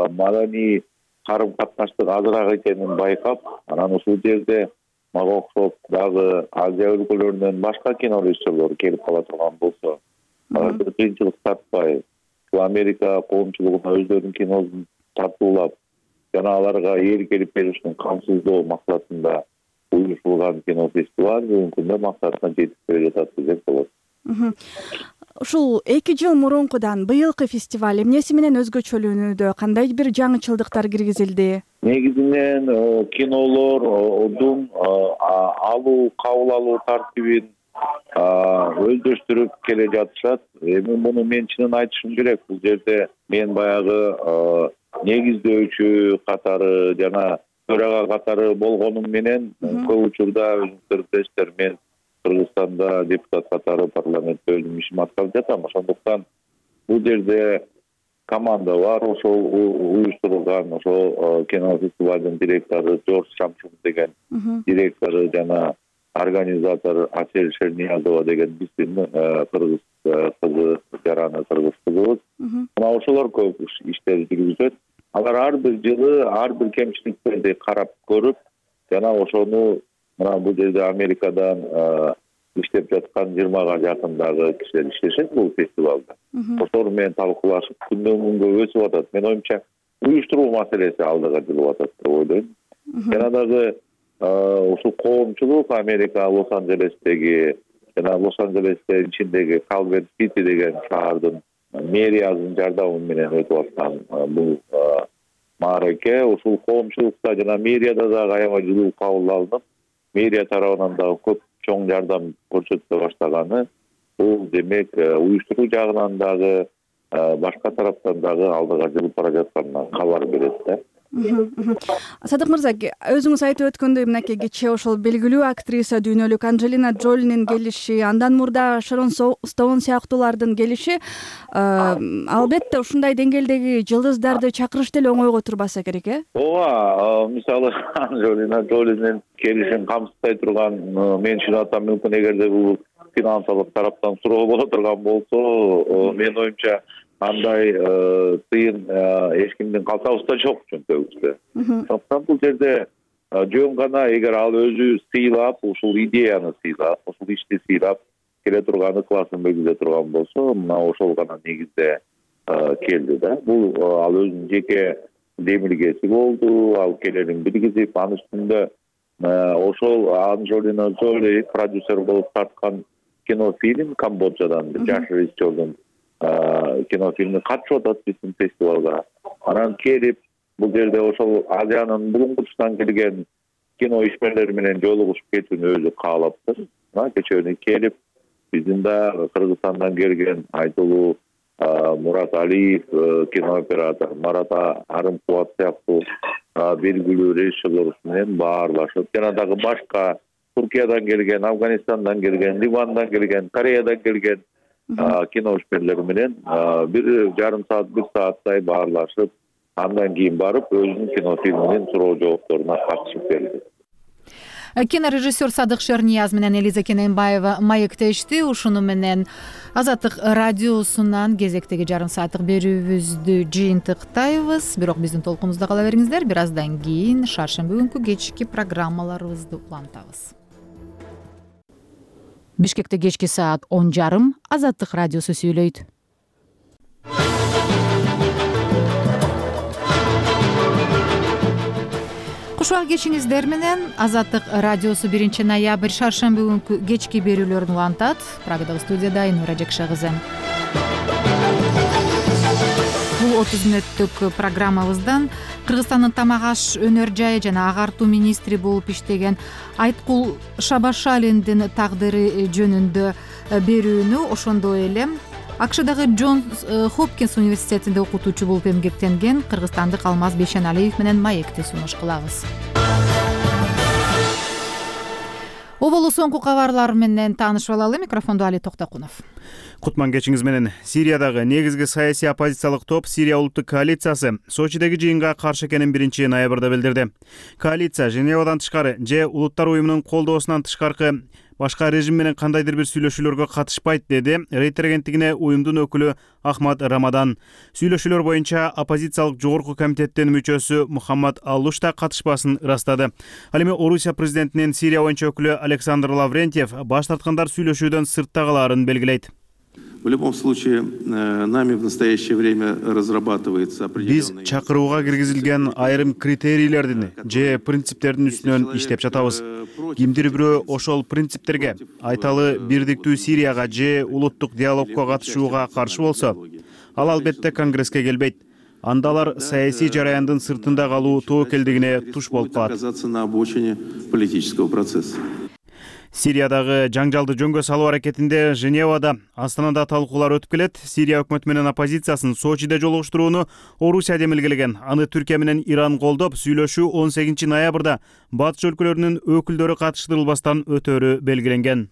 Speaker 3: маданий карым-катнаштык азыраак экенин байкап, анан ушул жерде мага окшоп дагы Азия өлкөлөрүнөн башка кино режиссерлор келип кала турган болсо, алар бир кыйынчылык тартпай, Америка коомчулугуна өздөрүнүн киносун тартуулап, жана аларга эл келип беришин камсыздоо максатында уюштурулган кинофестиваль бүгүнкү күндө максатына жетип келе жатат десек болот.
Speaker 19: Ушул 2 жыл мурункудан быйылкы фестиваль эмнеси менен өзгөчөлөнүүдө, кандай бир жаңычылдыктар киргизилди?
Speaker 3: Негизинен кинолордун алуу, кабыл алуу тартибин өздөштүрүп келе жатышат. Эми муну мен чынын айтышым керек. Бул жерде мен баягы негиздөөчү катары жана төрага катары болгонум менен көп учурда өзүңүздөр билесиздер, мен Кыргызстанда депутат катары парламентте өзүм ишимди аткарып жатам. Ошондуктан бул жерде команда бар, ошол уюштурулган ошол кинофестивалдын директору Жорж Шамшун деген директору жана организатор Асель Шерниязова деген биздин кыргыз кызы, жараны кыргыз кызыбыз. Мына ошолор көп иштерди жүргүзөт. Алар ар бир жылы ар бир кемчиликтерди карап көрүп, жана ошону мына бул жерде Америкадан иштеп жаткан 20га жакындагы кишилер иштешет бул фестивалда. Ошолор менен талкуулашып, күндөн күнгө өсүп атат. Мен оюмча уюштуруу маселеси алдыга жылып атат деп ойлойм. Жана дагы ушул коомчулук Америка Лос-Анджелестеги жана Лос-Анджелестин ичиндеги Калверт-Сити деген шаардын мэриясынын жардамы менен өтүп аткан бул маареке, ушул коомчулукта жана мэрияда дагы аябай жылуу кабыл алынып, мэрия тарабынан дагы көп чоң жардам көрсөтүлө баштаганы, бул демек уюштуруу жагынан дагы башка тараптан дагы алдыга жылып бара жатканынан кабар берет да.
Speaker 19: Садык мырза, өзүңүз айтып өткөндөй, мынакей кечээ ошол белгилүү актриса дүйнөлүк Анжелина Джолинин келиши, андан мурда Шерон Стоун сыяктуулардын келиши, албетте ушундай деңгээлдеги жылдыздарды чакырыш деле оңойго турбаса керек,
Speaker 3: Ооба, мисалы Анжелина Джолинин келишин камсыздай турган, мен чын атам мүмкүн эгерде бул финансылык тараптан суроо боло турган болсо, мен оюмча андай тыйын эч кимдин калтабызда жок чөнтөгүбүздө. Ошондуктан бул жерде жөн гана эгер ал өзү сыйлап, ушул идеяны сыйлап, ушул ишти сыйлап, келе турган ыкласын билдире турган болсо мына ошол гана негизде келди да. Бул ал өзүнүн жеке демилгеси болду. Ал келерин билгизип, анын үстүндө ошол Анджелина Джоли продюсер болуп тарткан кинофильм Камбоджадан жаш режиссердун кинофильми катышып атат биздин фестивалга. Анан келип бул жерде ошол Азиянын булуңгучунан келген кино ишмерлери менен жолугушуп кетүүнү өзү каалаптыр. Кечээ келип биздин да Кыргызстандан келген айтылуу Мурат Алиев кинооператор, Марат Арымкубат сыяктуу белгилүү режиссерлор менен баарлашып, жана дагы башка Туркиядан келген, Афганистандан келген, Ливандан келген, Кореядан келген кино ишмерлери менен 1,5 саат, 1 сааттай баарлашып, андан кийин барып өзүнүн кинофильминин суроо жоопторуна катышып берди.
Speaker 1: Кинорежиссер Садык Шернияз менен Элиза Кененбаева маектешти. Ушуну менен Азаттык радиосунан кезектеги жарым сааттык берүүбүздү жыйынтыктайбыз. Бирок биздин толкунубузда кала бериңиздер. Бир аздан кийин шаршемби күнкү кечки программаларыбызды улантабыз. Бишкекте кечки саат 10:30 Азаттык радиосу сүйлөйт. Кушуак кечиңиздер менен Азаттык радиосу 1 ноябрь шаршемби күнкү кечки берүүлөрүн улантат. Прагадагы студияда Айнура Жакша кызы. Бул 30 мүнөттүк программабыздан Кыргызстандын тамак аш өнөр жайы жана агартуу министри болуп иштеген Айткул Шабашалиндин тагдыры жөнүндө берүүнү, ошондой эле АКШдагы Джонс Хопкинс университетинде окутуучу болуп эмгектенген кыргызстандык Алмаз Бейшеналиев менен маекти сунуш кылабыз. Оболу соңку кабарлар менен таанышып алалы. Микрофонду Али Токтокунов.
Speaker 4: Кутман кечиңиз менен. Сириядагы негизги саясий оппозициялык топ Сирия улуттук коалициясы Сочидеги жыйынга каршы экенин 1 ноябрда билдирди. Коалиция Женевадан тышкары же улуттар уюмунун колдоосунан тышкаркы башка режим менен кандайдыр бир сүйлөшүүлөргө катышпайт, деди Рейтер агенттигине уюмдун өкүлү Ахмад Рамадан. Сүйлөшүүлөр боюнча оппозициялык жогорку комитеттин мүчөсү Мухаммад Аллуш да катышпасын ырастады. Ал эми Орусия президентинин Сирия боюнча өкүлү Александр Лаврентьев баш тарткандар сүйлөшүүдөн сыртта калаарын белгилейт.
Speaker 13: В любом случае, нами в настоящее время разрабатывается определенный...
Speaker 4: Биз чакырууга киргизилген айрым критерийлердин же принциптердин үстүнөн иштеп жатабыз. Кимдир бирөө ошол принциптерге, айталы бирдиктүү Сирияга же улуттук диалогко катышууга каршы болсо, ал албетте Конгресске келбейт. Анда алар саясий жараяндын сыртында калуу тобокелдигине туш болуп калат.
Speaker 13: Оказаться на обочине политического процесса.
Speaker 4: Сириядагы жаңжалды жөнгө салуу аракетинде Женевада, Астанада талкуулар өтүп келет. Сирия өкмөтү менен оппозициясын Сочиде жолугуштурууну Орусия демилгелеген. Аны Түркия менен Иран колдоп, сүйлөшүү 18 ноябрда батыш өлкөлөрүнүн өкүлдөрү катыштырылбастан өтөөрү белгиленген.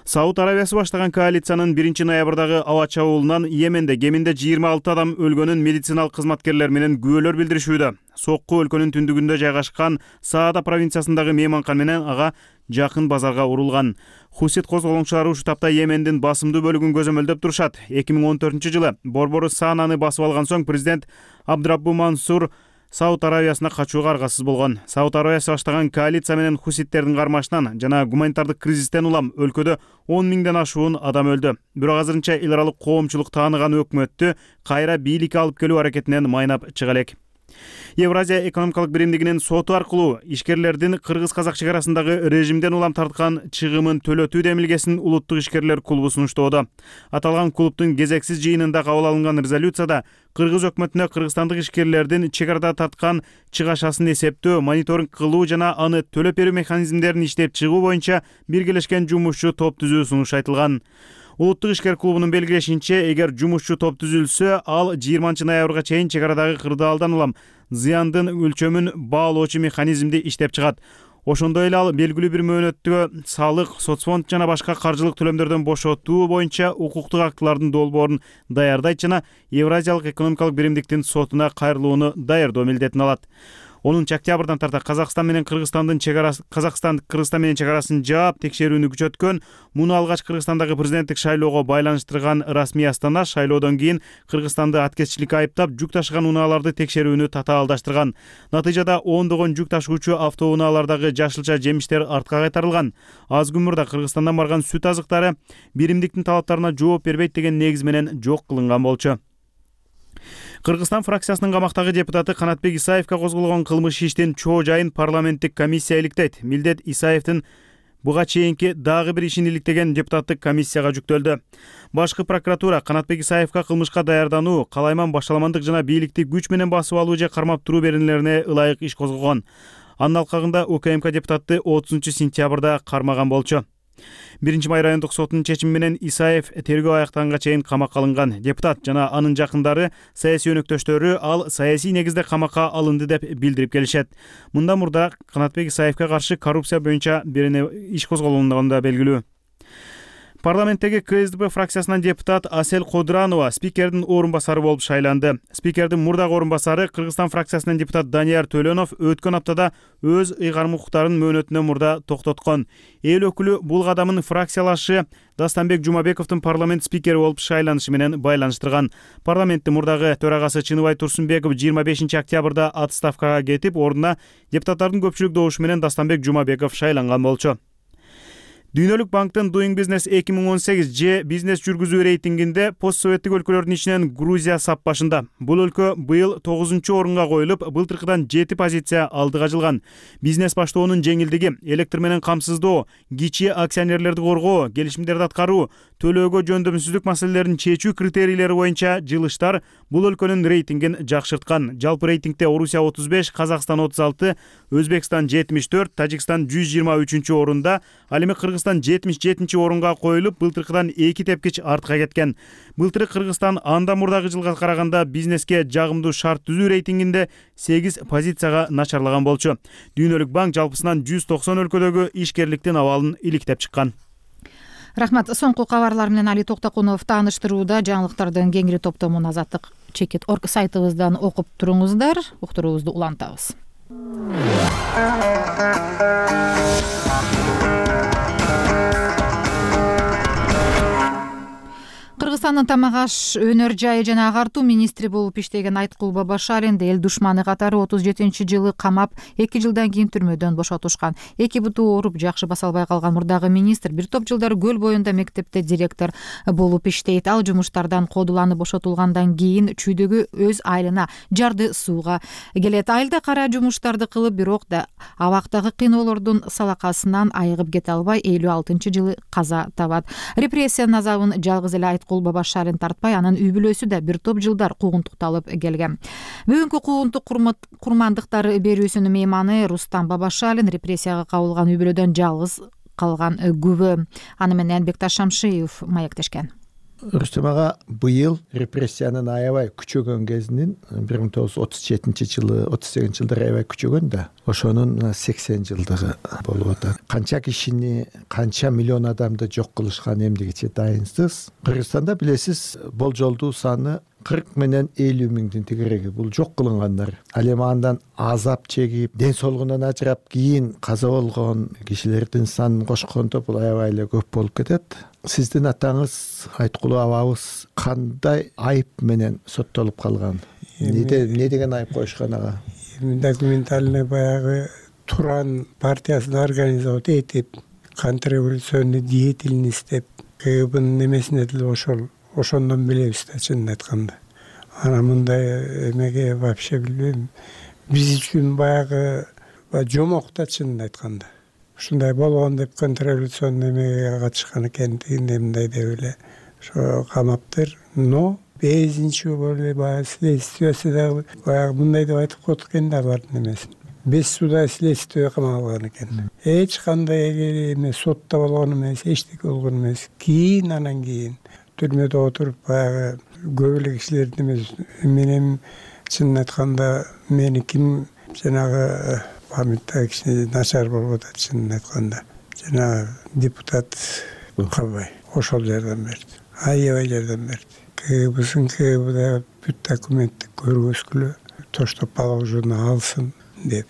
Speaker 4: Сауд Арабиясы баштаган коалициянын 1 ноябрдагы аба чабуулунан Йеменде кеминде 26 адам өлгөнүн медициналык кызматкерлер менен күбөлөр билдиришүүдө. Сокку өлкөнүн түндүгүндө жайгашкан Саада провинциясындагы мейманкана менен ага жакын базарга урулган. Хусит козголоңчулары ушул тапта Йемендин басымдуу бөлүгүн көзөмөлдөп турушат. 2014-жылы борбору Сананы басып алган соң президент Абдраббу Мансур Сауд Арабиясына качууга аргасыз болгон. Сауд Арабиясы баштаган коалиция менен хуситтердин кармашынан жана гуманитардык кризистен улам өлкөдө 10 миңден ашуун адам өлдү. Бирок азырынча эл аралык коомчулук тааныган өкмөттү кайра бийликке алып келүү аракетинен майнап чыга элек. Евразия экономикалык биримдигинин соту аркылуу ишкерлердин кыргыз-казак чек арасындагы режимден улам тарткан чыгымын төлөтүү демилгесин улуттук ишкерлер клубу сунуштоодо. Аталган клубдун кезексиз жыйынында кабыл алынган резолюцияда кыргыз өкмөтүнө кыргызстандык ишкерлердин чек арада тарткан чыгашасын эсептөө, мониторинг кылуу жана аны төлөп берүү механизмдерин иштеп чыгуу боюнча биргелешкен жумушчу топ түзүү сунуш айтылган. Улуттук ишкер клубунун белгилешинче, эгер жумушчу топ түзүлсө, ал 20 ноябрга чейин чек арадагы кырдаалдан улам зыяндын өлчөмүн баалоочу механизмди иштеп чыгат. Ошондой эле ал белгилүү бир мөөнөттө салык, соцфонд жана башка каржылык төлөмдөрдөн бошотуу боюнча укуктук актылардын долбоорун даярдайт жана Евразиялык экономикалык биримдиктин сотуна кайрылууну даярдоо милдетин алат. 10 октябрдан тарта Казакстан менен Кыргызстан менен чегарасын жаап текшерүүнү күчөткөн. Муну алгач Кыргызстандагы президенттик шайлоого байланыштырган расмий Астана шайлоодон кийин Кыргызстанды аткезчиликке айыптап, жүк ташыган унааларды текшерүүнү татаалдаштырган. Натыйжада ондогон жүк ташуучу автоунaalардагы жашылча жемиштер артка кайтарылган. Аз күн мурда Кыргызстандан барган сүт азыктары биримдиктин талаптарына жооп бербейт деген негиз менен жок кылынган болчу. Кыргызстан фракциясынын камактагы депутаты Канатбек Исаевге козголгон кылмыш иштин чоо жайын парламенттик комиссия иликтейт. Милдет Исаевдин буга чейинки дагы бир ишин иликтеген депутаттык комиссияга жүктөлдү. Башкы прокуратура Канатбек Исаевге кылмышка даярдануу, калайман башаламандык жана бийликти күч менен басып алуу же кармап туруу беренелерине ылайык иш козгогон. Анын алкагында УКМК депутаты 30-сентябрда кармаган болчу. 1-Май райондук сотунун чечими менен Исаев тергөө аяктаганга чейин камакка алынган. Депутат жана анын жакындары, саясий өнөктөштөрү ал саясий негизде камакка алынды деп билдирип келишет. Мындан мурда Канатбек Исаевге каршы коррупция боюнча бир иш козголгондугу да белгилүү. Парламенттеги КСДП фракциясынан депутат Асель Кодранова спикердин орун басары болуп шайланды. Спикердин мурдагы орун басары Кыргызстан фракциясынан депутат Данияр Төлөнов өткөн аптада өз ыйгарым укуктарын мөөнөтүнөн мурда токтоткон. Эл өкүлү бул кадамын фракциялашы Дастанбек Жумабековдун парламент спикери болуп шайланышы менен байланыштырган. Парламенттин мурдагы төрагасы Чыныбай Турсунбеков 25 октябрда отставкага кетип, ордуна депутаттардын көпчүлүк добушу менен Дастанбек Жумабеков шайланган болчу. Дүйнөлүк банктын Doing Business 2018 же бизнес жүргүзүү рейтингинде постсоветтик өлкөлөрдүн ичинен Грузия сап башында. Бул өлкө быйыл 9-орунга коюлуп, былтыркыдан 7 позиция алдыга жылган. Бизнес баштоонун жеңилдиги, электр менен камсыздоо, кичи акционерлерди коргоо, келишимдерди аткаруу, төлөөгө жөндөмсүздүк маселелерин чечүү критерийлери боюнча жылыштар бул өлкөнүн рейтингин жакшырткан. Жалпы рейтингде Орусия 35, Казакстан 36, Өзбекстан 74, Тажикстан 123-орунда, ал эми Кыргызстан 77-орунга коюлуп, былтыркыдан 2 тепкич артка кеткен. Былтыры Кыргызстан анда мурдагы жылга караганда бизнеске жагымдуу шарт түзүү рейтингинде 8 позицияга начарлаган болчу. Дүйнөлүк банк жалпысынан 190 өлкөдөгү ишкерликтин абалын иликтеп чыккан.
Speaker 1: Рахмат. Соңку кабарлар менен Али Токтокунов тааныштырууда. Жаңылыктардын кеңири топтомун Азаттык.org сайтыбыздан окуп туруңуздар. Уктуруубузду улантабыз. Кыргызстандын тамак аш, өнөр жайы жана агартуу министри болуп иштеген Айткул Бабашаринди эл душманы катары 37-жылы камап, 2 жылдан кийин түрмөдөн бошотушкан. Эки буту ооруп жакшы баса албай калган мурдагы министр бир топ жылдар Көл боюнда мектепте директор болуп иштейт. Ал жумуштардан кодуланып бошотулгандан кийин чүйдөгү өз айылына жарды сууга келет. Айылда кара жумуштарды кылып, бирок да абактагы кыйноолордун салакасынан айыгып кете албай 56-жылы каза табат. Репрессиянын азабын жалгыз эле Айткул Бабашарин тартпай, анын үй бүлөсү да бир топ жылдар куугунтукталып келген. Бүгүнкү куугунтук курмандыктары берүүсүнүн мейманы Рустам Бабашарин репрессияга кабылган үй бүлөдөн жалгыз калган күбө. Аны менен Бекташ Шамшиев маектешкен.
Speaker 20: Рустам ага быйыл репрессиянын аябай күчөгөн кезинин 1937-жылы, 38-жылдары аябай күчөгөн да, ошонун 80 жылдыгы болуп атат. Канча кишини, канча миллион адамды жок кылышкан эмдигиче дайынсыз. Кыргызстанда билесиз, болжолдуу саны 40 менен 50 миңдин тегереги. Бул жок кылынгандар. Ал эми андан азап чегип, ден соолугунан ажырап, кийин каза болгон кишилердин санын кошкондо бул аябай эле көп болуп кетет. Сиздин атаңыз, Айткул абабыз кандай айып менен соттолуп калган? Не деген айып коюшкан ага?
Speaker 21: Документальный баягы Туран партиясын организовать этип, контрреволюционный деятельность деп, КГБнын немесине деле ошондон билебиз да, чынын айтканда. Ана мындай эмеге вообще билбейм. Биз үчүн баягы жомок да, чынын айтканда. Ушундай болгон деп контрреволюционный эмеге катышкан экен, тигиндей мындай деп эле ошо камаптыр. Но безинчи боло баягы следствиясы дагы баягы мындай деп айтып коет экен да, алардын эмесин. Без суда следствие камалган экен. Эч кандай эме сотто болгон эмес, эчтеке болгон эмес. Кийин анан кийин түрмөдө отуруп баягы көп эле кишилердин эмес, менин чынын айтканда мени ким жанагы памяттагы кичине начар болуп атат, чынын айтканда. Жанагы депутат Калбай ошол жардам берди. Аябай жардам берди. КГБда бүт документти көргөзгүлө, тоштоп алып жуна алсын. деп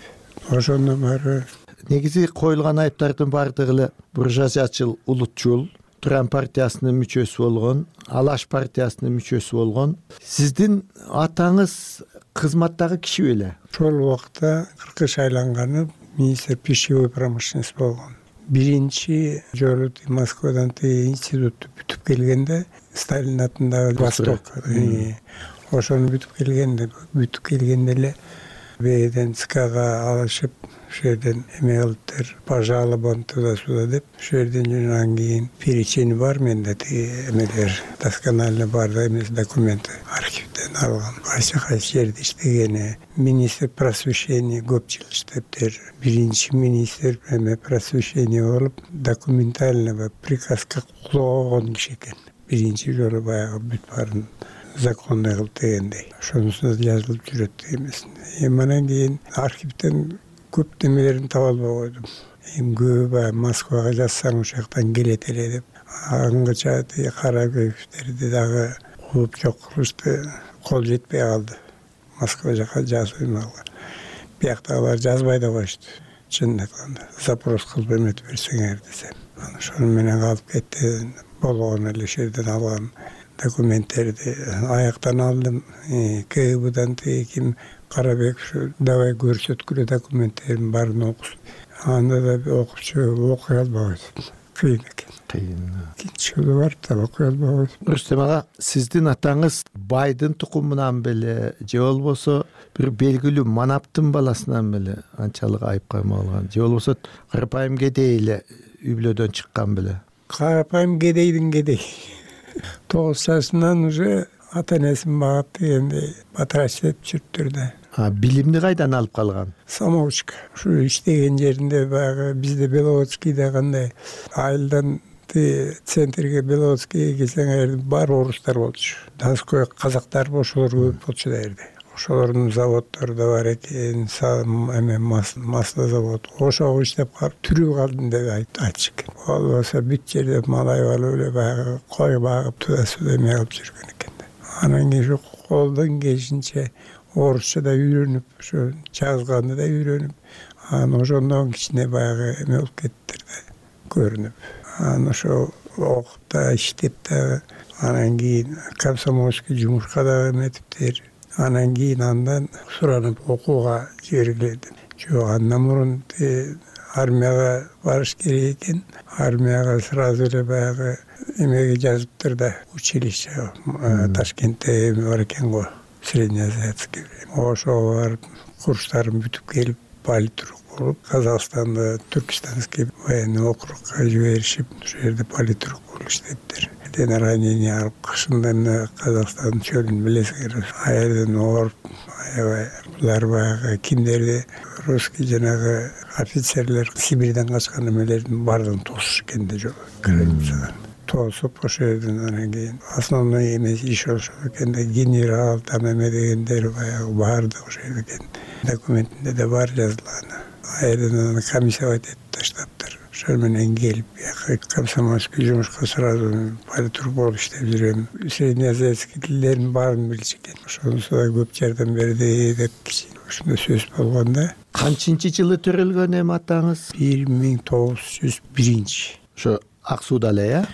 Speaker 21: ошондон баары.
Speaker 20: Негизи коюлган айыптардын баардыгы эле буржуазиячыл улутчул Туран партиясынын мүчөсү болгон, Алаш партиясынын мүчөсү болгон. Сиздин атаңыз кызматтагы киши беле?
Speaker 21: Ошол убакта 40 шайланганы министр пищевой промышленности болгон. Биринчи жолу Москвадан институтты бүтүп келгенде Сталин атындагы Восток ошону бүтүп келгенде эле бээден ЦКга алышып, ошол жерден эме кылыптыр, пожалобам туда-сюда деп, ошол жерден анан кийин перечень бар менде, эмелер досконально бар эмес документы архивден алган. Кайсы жерде иштегени, министр просвещения көп жыл иштептир. Биринчи министр эме просвещения болуп, документально приказга кулоо койгон киши экен. Биринчи жолу баягы бүт баарын законный кылып дегендей. Ошонусу жазылып жүрөт эмес. Анан кийин архивден көп немелерин таба албай койдум. Көбү баягы Москвага жазсаң ошол жактан келет эле деп. Аңгыча Карабековдерди дагы кууп жок кылышты, кол жетпей калды. Москва жака жазбайм алган. Бияктагылар жазбай да коюшту. Чынын айтканда, запрос кылып эметип берсеңер десем. Ошону менен калып кетти. Болгон эле жерден алган документтерди аяктан алдым. КГБдан ким Карабеков давай көрсөткүлө документтердин баарын окусун. Анда да окуучу окуй албай койду. Кыйын экен. Кийинчи бар да окуй албай койду.
Speaker 20: Рустем ага, сиздин атаңыз байдын тукумунан беле же болбосо бир белгилүү манаптын баласынан беле анчалык айыпка алган? Же болбосо карапайым кедей эле үй бүлөдөн чыккан беле?
Speaker 21: Карапайым кедейдин кедей. 9 жашынан уже ата-энесин багат дегендей батырачылап жүрүптүр да.
Speaker 20: Билимди кайдан алып калган?
Speaker 21: Самоучка. Ушу иштеген жеринде баягы бизде Беловодскийде кандай айылдан центрге Беловодскийге келсең бар орустар болчу. Донской казактар ошолор көп болчу да жерде. Ошолордун заводдору да бар экен, масло завод. Ошого иштеп калып түрүп калдым деп айтчу экен. Болбосо бүт жерде малай алып эле баягы кой багып туда-сюда эме кылып жүргөн экен. Анан кийин колдон келишинче орусча да үйрөнүп, ошо жазганды да үйрөнүп, анан ошондон кичине баягы эме болуп кеттир да, көрүнүп. Анан ошо окуп да иштеп да, анан кийин комсомольский жумушка да эметиптир. Анан кийин андан суранып окууга жибергиледим. Жок, андан мурун армияга барыш керек экен. Армияга сразу эле баягы эмеге жазыптыр да, училище Ташкентте эме бар экен го, среднеазиатский. Ошого барып курстарын бүтүп келип, политрук болуп, Казакстанда Түркистанский военный округга жиберишип, ошол жерде политрук болуп иштептир. Ранение алып, кышында Казакстандын чөлүн билесиңер, аерден ооруп, аябай булар баягы кимдерди русский жанагы офицерлер Сибирден качкан эмелердин баардыгын тосуш экен да жок. Границадан тосуп ошол жерден анан кийин основной эмес иш ошол экен да, генерал там эме дегендер баягы баардыгы ошол жерде экен. Документинде да бар жазылган. Аерден комиссия этип таштаптыр. Ошол менен келип, комсомольский жумушка сразу политрук болуп иштеп жүрөм. Среднеазиатский тилдердин баарын билчү экен. Ошонусу да көп жардам берди деп ушундай сөз болгон да.
Speaker 20: Канчынчы жылы төрөлгөн эми атаңыз?
Speaker 21: 1901.
Speaker 20: Ошо Ак Сууда эле,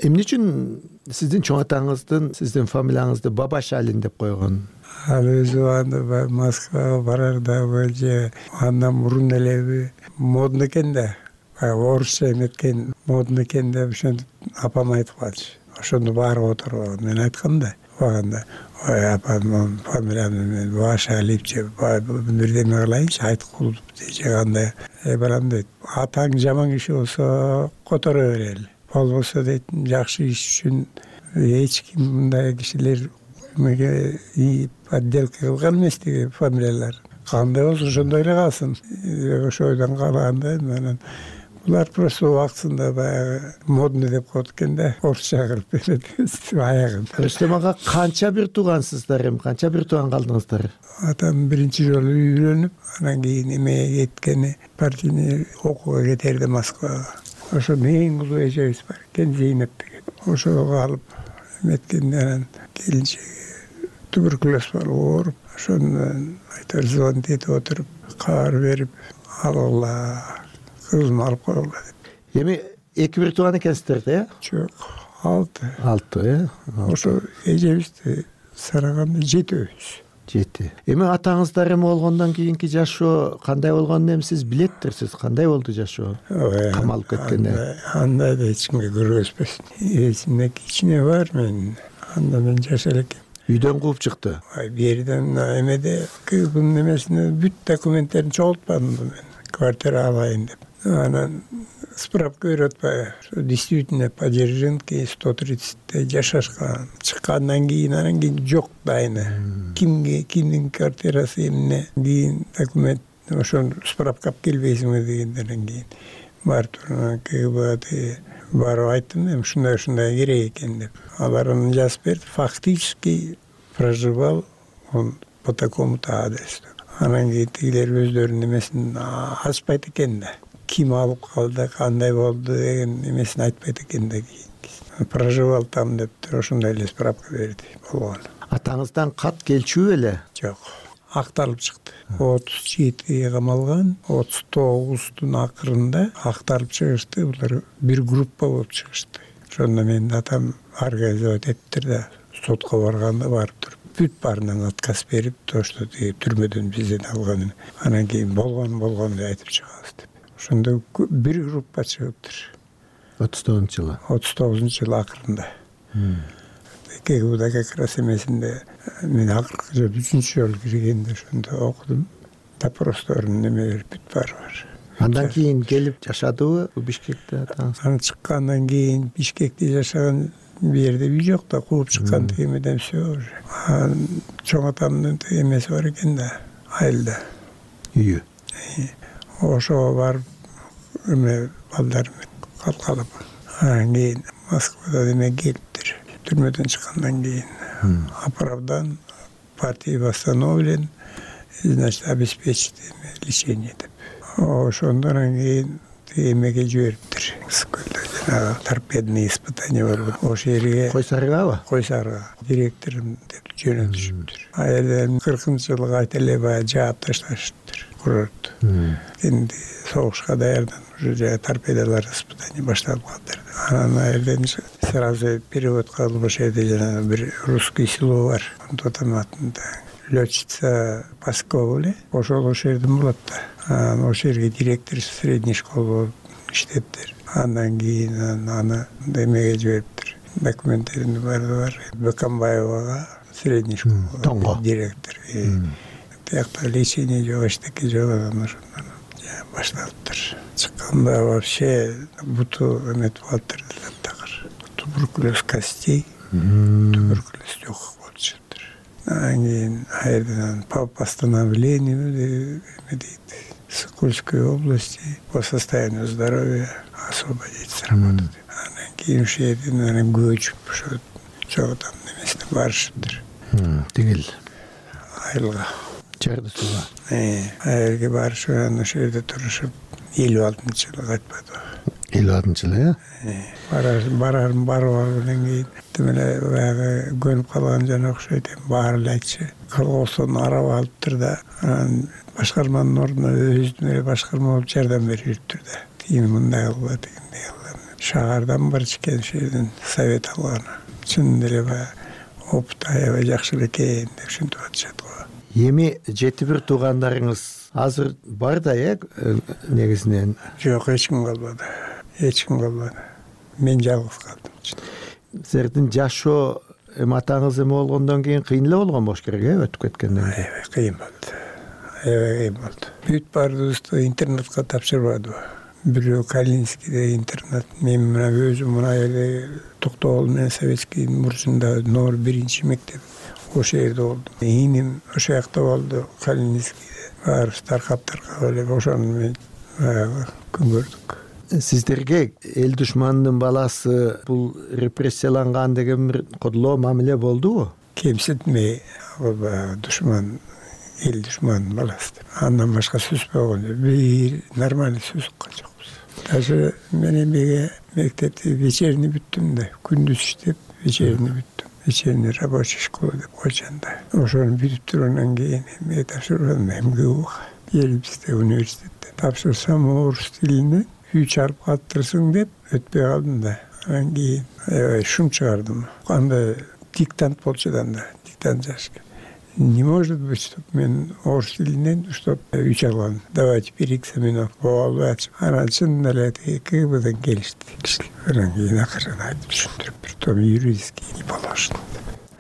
Speaker 20: эмне үчүн сиздин чоң атаңыздын сиздин фамилияңызды Бабашалин деп койгон?
Speaker 21: Ал өзү анда Москвага барарда же андан мурун эле модно экен да. Орусча эметкен модно экен деп ошентип апам айтып калчу. Ошондо баары отуруп мен айткам да. Баганда ой апам фамилиямды мен Бабашалипчи бирдеме кылайынчы айтып кулуп же кандай. Балам дейт, атаң жаман киши болсо которо берели. Болбосо дейт, жакшы иш үчүн эч ким мындай кишилер подделка кылган эмес деген фамилиялар. Кандай болсо ошондой эле калсын. Ошо ойдон калганда анан булар просто убактысында баягы модный деп коет экен да, орусча кылып берет аягын.
Speaker 20: Рустем ага, канча бир туугансыздар эми? Канча бир тууган калдыңыздар?
Speaker 21: Атам биринчи жолу үйрөнүп, анан кийин эмеге кеткени, партийный окууга кетерди Москвага. Ошо эң улуу эжебиз бар экен, Зейнеп деген. Ошого алып эметкенде анан келинчеги туберкулез болуп ооруп, ошондон айтор звонить этип отуруп, кабар берип, алгыла, кызымды алып койгула деп.
Speaker 20: Эми 2-1 тууган экенсиздер да,
Speaker 21: Жок, 6.
Speaker 20: 6,
Speaker 21: Ошо эжебизди санаганда 7-өбүз.
Speaker 20: 7. Эми атаңыздар эми болгондон кийинки жашоо кандай болгонун эми сиз билеттирсиз. Кандай болду жашоо? Камалып кеткенде.
Speaker 21: Андай да эч кимге көргөзбөсүн. Эсимде кичине бар мен. Анда мен жашар экен.
Speaker 20: Үйдөн кууп чыкты.
Speaker 21: Берден эмеде кызымдын немесине бүт документтерин чогултпадым мен. Квартира алайын деп. Анан справка берип атпайбы? Действительно по Дзержинке 130-те жашашкан. Чыккандан кийин анан кийин жок дайыны. Кимдин квартирасы эмне? Кийин документ ошол справка алып келбейсиңби дегенден кийин барып КГБ барып айттым, эми ушундай керек экен деп. Алар аны жазып берди. Фактически проживал он по такому-то адресу. Анан кийин тигилер өздөрүнүн немесин ачпайт экен да. Ким алып калды, кандай болду деген немесин айтпайт экен да кийин. Проживал там деп ошондой эле справка берди болгон.
Speaker 20: Атаңыздан кат келчү беле?
Speaker 21: Жок. Акталып чыкты. 37 камалган, 39-тун акырында акталып чыгышты. Булар бир группа болуп чыгышты. Ошондо менин атам организовать эттир да, сотко барганда барып туруп, бүт баарынан отказ берип, то что түрмөдөн бизден алганын. Анан кийин болгон деп айтып чыгабыз деп. Ошондо бир группа чыгыптыр.
Speaker 20: 39-жылы.
Speaker 21: 39-жылы акырында. КГБда как раз эмесинде мен акыркы жолу 3-жолу киргенде ошондо окудум. Допросторун немелер бүт баары бар.
Speaker 20: Андан кийин келип жашадыбы Бишкекте атаңыз?
Speaker 21: Анан чыккандан кийин Бишкекте жашаган жерде үй жок да, кууп чыккан эмеден всё уже. Чоң атамдын эмеси бар экен да, айылда.
Speaker 20: Үйү.
Speaker 21: Ошого барып эме балдар менен калкалап. Анан кийин Москвада эме келиптир. Түрмөдөн чыккандан кийин оправдан партия восстановлен, значит, обеспечить лечение деп. Ошондон кийин эмеге жибериптир. Сколько жанагы торпедный испытание бар. Ошол жерге
Speaker 20: Кой Сарыгабы?
Speaker 21: Кой Сарыга директорум деп жөнөтүшүптүр. Айылдан 40-жылы кайта эле баягы жаап ташташыптыр курорту. Энди согушка даярданып уже торпедалар испытание башталып калыптыр. Анан айылдан сразу перевод кылып ошол жерде жанагы бир русский село бар. Тотам атында летчица Паскова эле. Ошол жерден болот да. Ошол жерге директор средний школа болуп иштептир. Андан кийин аны эмеге жибериптир. Документтерин бар. Бакамбаевага средний школа директор. Тиякта лечение жок, эчтеке жок, анан ошондон башталыптыр. Чыкканда вообще буту эметип калыптыр такыр. Туберкулез костей, туберкулез легких болуп чыгыптыр. Анан кийин айылдан по постановлению дейт. Сокольской области по состоянию здоровья освободить с работы. Анан кийин ушул жерден көчүп ошо чоң атам немесине барышыптыр.
Speaker 20: Тигил
Speaker 21: айылга.
Speaker 20: Чарды сууга.
Speaker 21: Айылга барышып, анан ошол жерде турушуп 56-жылы кайтпады.
Speaker 20: 56-жылы,
Speaker 21: Барарым барып алгандан кийин демеле баягы көнүп калган жана окшойт. Баары эле айтчу. Колгосун арап алыптыр да, анан башкарманын ордуна өзүнүн эле башкарма болуп жардам берип жүрүптүр да. Тигини мындай кылгыла, тигиндей кылгыла. Шаардан бар экен ошол жерден совет алган. Чын эле баягы опыт аябай жакшы экен деп ушинтип атышат го.
Speaker 20: Эми 7-1 туугандарыңыз азыр бар да, негизинен?
Speaker 21: Жок, эч ким калбады. Мен жалгыз калдым.
Speaker 20: Сиздердин жашоо атаңыз эме болгондон кийин кыйын эле болгон болуш керек, өтүп кеткенден кийин.
Speaker 21: Аябай кыйын болду. Бүт баарыбызды интернатка тапшырбадыбы? Бирөө Калининскийде интернат, мен мына өзүм мына эле Токтогул менен Советский мурчунда номер 1 мектеп ошол жерде болдум. Иним ошол жакта болду, Калининскийде. Баарыбыз таркап эле ошону мен күн көрдүк.
Speaker 20: Сиздерге эл душманынын баласы бул репрессияланган деген бир кодулоо мамиле болдубу?
Speaker 21: Кемсинтмей, душман, эл душманынын баласы деп. Андан башка сөз болгон жок. Бир нормальный сөз уккан жокпуз. Даже мен эмеге мектепте вечерний бүттүм да, күндүз иштеп, вечерний бүттүм. вечерний рабочей школы деп койчун да. Ошону бүтүп тургандан кийин эми тапшырдым, МГУга. Елбизде университетте тапшырсам орус тилинен 3 алып калыптырсың деп өтпөй калдым да. Анан кийин аябай шум чыгардым. Анда диктант болчу да, диктант жазышкан. Не может быть, чтобы мен орус тилинен уштап 3 алган. Давайте переэкзаменовка болобу. Анан чынында эле КГБдан келишти кишилер. Анан кийин акырын айтып түшүндүрүп берди. Юридический не положено.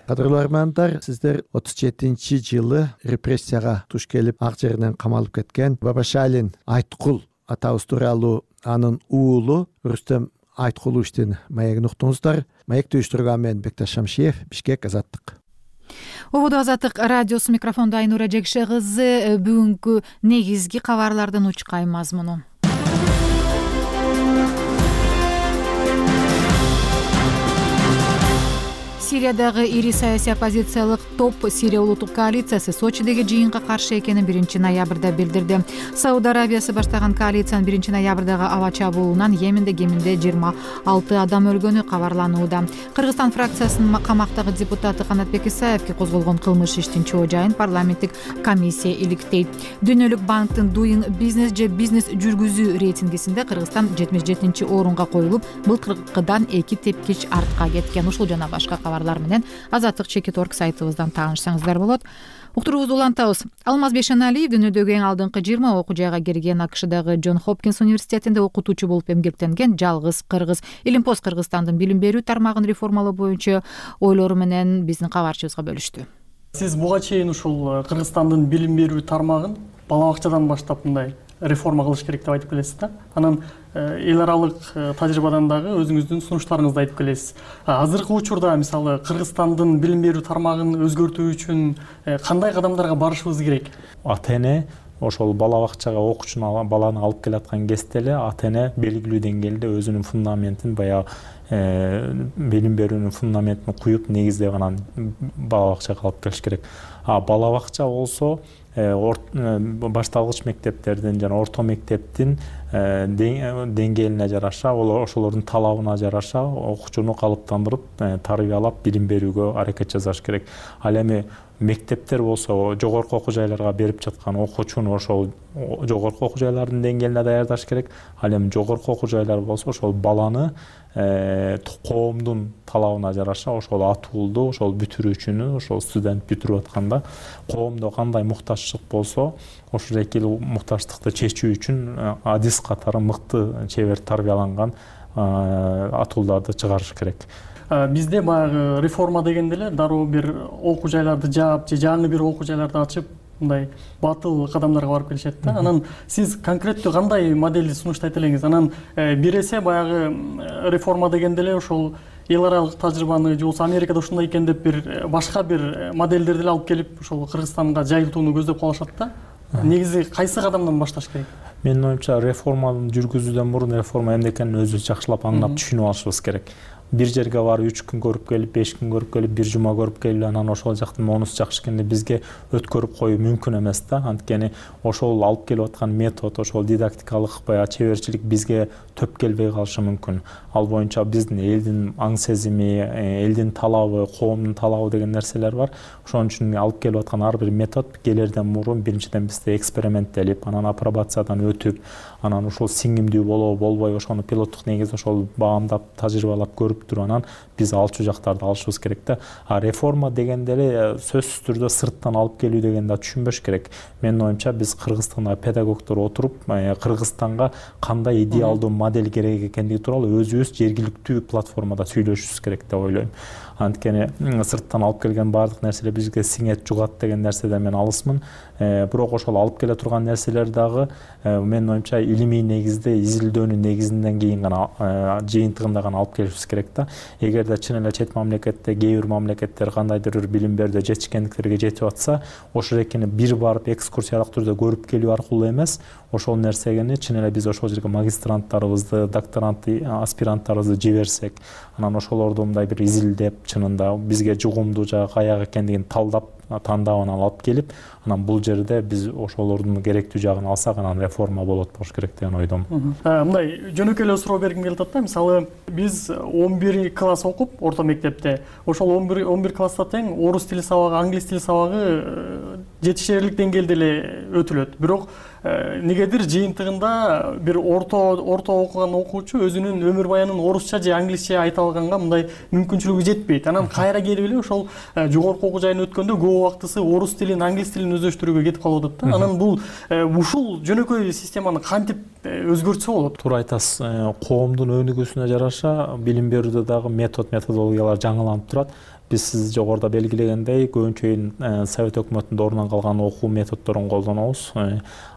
Speaker 20: Кадырлуу армандар, сиздер 37-жылы репрессияга туш келип ак жеринен камалып кеткен Бабашалин Айткул атабыз тууралуу анын уулу Рустем Айткуловичтин маегин уктуңуздар. Маекти уюштурган мен Бекташ Шамшиев, Бишкек, Азаттык.
Speaker 1: Ободо Азаттык радиосу, микрофондо Айнура Жекше кызы. Бүгүнкү негизги кабарлардын учкай мазмуну. Сириядагы ири саясий оппозициялык топ Сирия улуттук коалициясы Сочидеги жыйынга каршы экенин 1 ноябрда билдирди. Сауд Арабиясы баштаган коалициянын 1 ноябрдагы аба чабуулунан Йеменде кеминде 26 адам өлгөнү кабарланууда. Кыргызстан фракциясынын камактагы депутаты Канатбек Исаевге козголгон кылмыш иштин чоо жайын парламенттик комиссия иликтейт. Дүйнөлүк банктын Doing Business же бизнес жүргүзүү рейтингисинде Кыргызстан 77-орунга коюлуп, былтыркыдан 2 тепкич артка кеткен. Ушул жана башка кабарлар менен Азаттык.org сайтыбыздан таанышсаңыздар болот. Уктуруубузду улантабыз. Алмаз Бешеналиев дүйнөдөгү эң алдыңкы 20 окуу жайга кирген АКШдагы Джон Хопкинс университетинде окутуучу болуп эмгектенген жалгыз кыргыз. Илимпост Кыргызстандын билим берүү тармагын реформалоо боюнча ойлору менен биздин кабарчыбызга бөлүштү.
Speaker 5: Сиз буга чейин ушул Кыргызстандын билим берүү тармагын бала бакчадан баштап мындай реформа кылыш керек деп айтып келесиз да. Анан эл аралык тажрыйбадан дагы өзүңүздүн сунуштарыңызды айтып келесиз. Азыркы учурда мисалы Кыргызстандын билим берүү тармагын өзгөртүү үчүн кандай кадамдарга барышыбыз керек?
Speaker 22: ата-эне ошол бала бакчага окуучуну баланы алып келаткан кезде эле ата-эне белгилүү деңгээлде өзүнүн фундаментин баягы билим берүүнүн фундаментин куюп негиздеп анан бала бакчага алып келиш керек. Бала бакча болсо башталгыч мектептердин жана орто мектептин деңгээлине жараша, ошолордун талабына жараша окуучуну калыптандырып, тарбиялап билим берүүгө аракет жасаш керек. Ал эми мектептер болсо жогорку окуу жайларга берип жаткан окуучуну ошол жогорку окуу жайлардын деңгээлине даярдаш керек. Ал эми жогорку окуу жайлар болсо ошол баланы коомдун талабына жараша ошол атуулду, ошол бүтүрүүчүнү, ошол студент бүтүрүп атканда коомдо кандай муктажчылык болсо, ошол экил муктажчылыкты чечүү үчүн адис катары мыкты чебер тарбияланган атуулдарды чыгарыш керек.
Speaker 5: Бизде баягы реформа дегенде эле дароо бир окуу жайларды жаап же жаңы бир окуу жайларды ачып мындай батыл кадамдарга барып келишет да. Анан сиз конкреттүү кандай моделди сунуштайт элеңиз? Анан бир эсе баягы реформа дегенде эле ошол эл аралык тажрыйбаны же болбосо Америкада ушундай экен деп бир башка бир модельдерди эле алып келип ошол Кыргызстанга жайылтууну көздөп калышат да. Негизи кайсы кадамдан башташ керек?
Speaker 22: Менин оюмча реформаны жүргүзүүдөн мурун реформа эмне экенин өзүбүз жакшылап аңлап түшүнүп алышыбыз керек. Бир жерге барып 3 күн көрүп келип, 5 күн көрүп келип, бир жума көрүп келип, анан ошол жактын монусу жакшы экенди бизге өткөрүп коюу мүмкүн эмес да. Анткени ошол алып келип аткан метод, ошол дидактикалык баягы чеберчилик бизге төп келбей калышы мүмкүн. Ал боюнча биздин элдин аң сезими, элдин талабы, коомдун талабы деген нерселер бар. Ошон үчүн алып келип аткан ар бир метод келерден мурун биринчиден бизде эксперименттелип, анан апробациядан өтүп, анан ушул сиңимдүү болобу, болбойбу ошону пилоттук негизде ошол баамдап, тажрыйбалап көрүп туруп анан биз алчу жактарды алышыбыз керек да. Реформа дегенде эле сөзсүз түрдө сырттан алып келүү дегенди түшүнбөш керек. Менин оюмча биз Кыргызстанда педагогдор отуруп, Кыргызстанга кандай идеалдуу модель керек экендиги тууралуу өзүбүз жергиликтүү платформада сүйлөшүшүбүз керек деп ойлойм. Анткени сырттан алып келген баардык нерселер бизге сиңет, жугат деген нерседен мен алысмын. Бирок ошол алып келе турган нерселер дагы менин оюмча илимий негизде, изилдөөнүн негизинен кийин гана жыйынтыгында гана алып келишибиз керек да. Эгерде чын эле чет мамлекетте, кээ бир мамлекеттер кандайдыр бир билим берүүдө жетишкендиктерге жетип атса, ошол экени бир барып экскурсиялык түрдө көрүп келүү аркылуу эмес, ошол нерсени чын эле биз ошол жерге магистранттарыбызды, докторант, аспиранттарыбызды жиберсек, анан ошолорду мындай бир изилдеп, чынында бизге жугумдуу жагы каяк экендигин талдап тандабын алып келип, анан бул жерде биз ошолордун керектүү жагын алсак, анан реформа болот болуш керек деген ойдомун.
Speaker 5: Мындай жөнөкөй эле суроо бергим келип атат да. Мисалы, биз 11 класс окуп орто мектепте, ошол 11 класста тең орус тили сабагы, англис тили сабагы жетишерлик деңгээлде эле өтүлөт. Бирок негедир жыйынтыгында бир орто окуган окуучу өзүнүн өмүр баянын орусча же англисче айта алганга мындай мүмкүнчүлүгү жетпейт. Анан кайра келип эле ошол жогорку окуу жайына өткөндө көп убактысы орус тилин, англис тилин өздөштүрүүгө кетип калып атат да. Анан бул ушул жөнөкөй системаны кантип өзгөртсө болот?
Speaker 22: Туура айтасыз. Коомдун өнүгүүсүнө жараша билим берүүдө дагы методологиялар жаңыланып турат. Биз сиз жогоруда белгилегендей, көбүнчө Совет өкмөтүндө орнун калган окуу методдорун колдонобуз.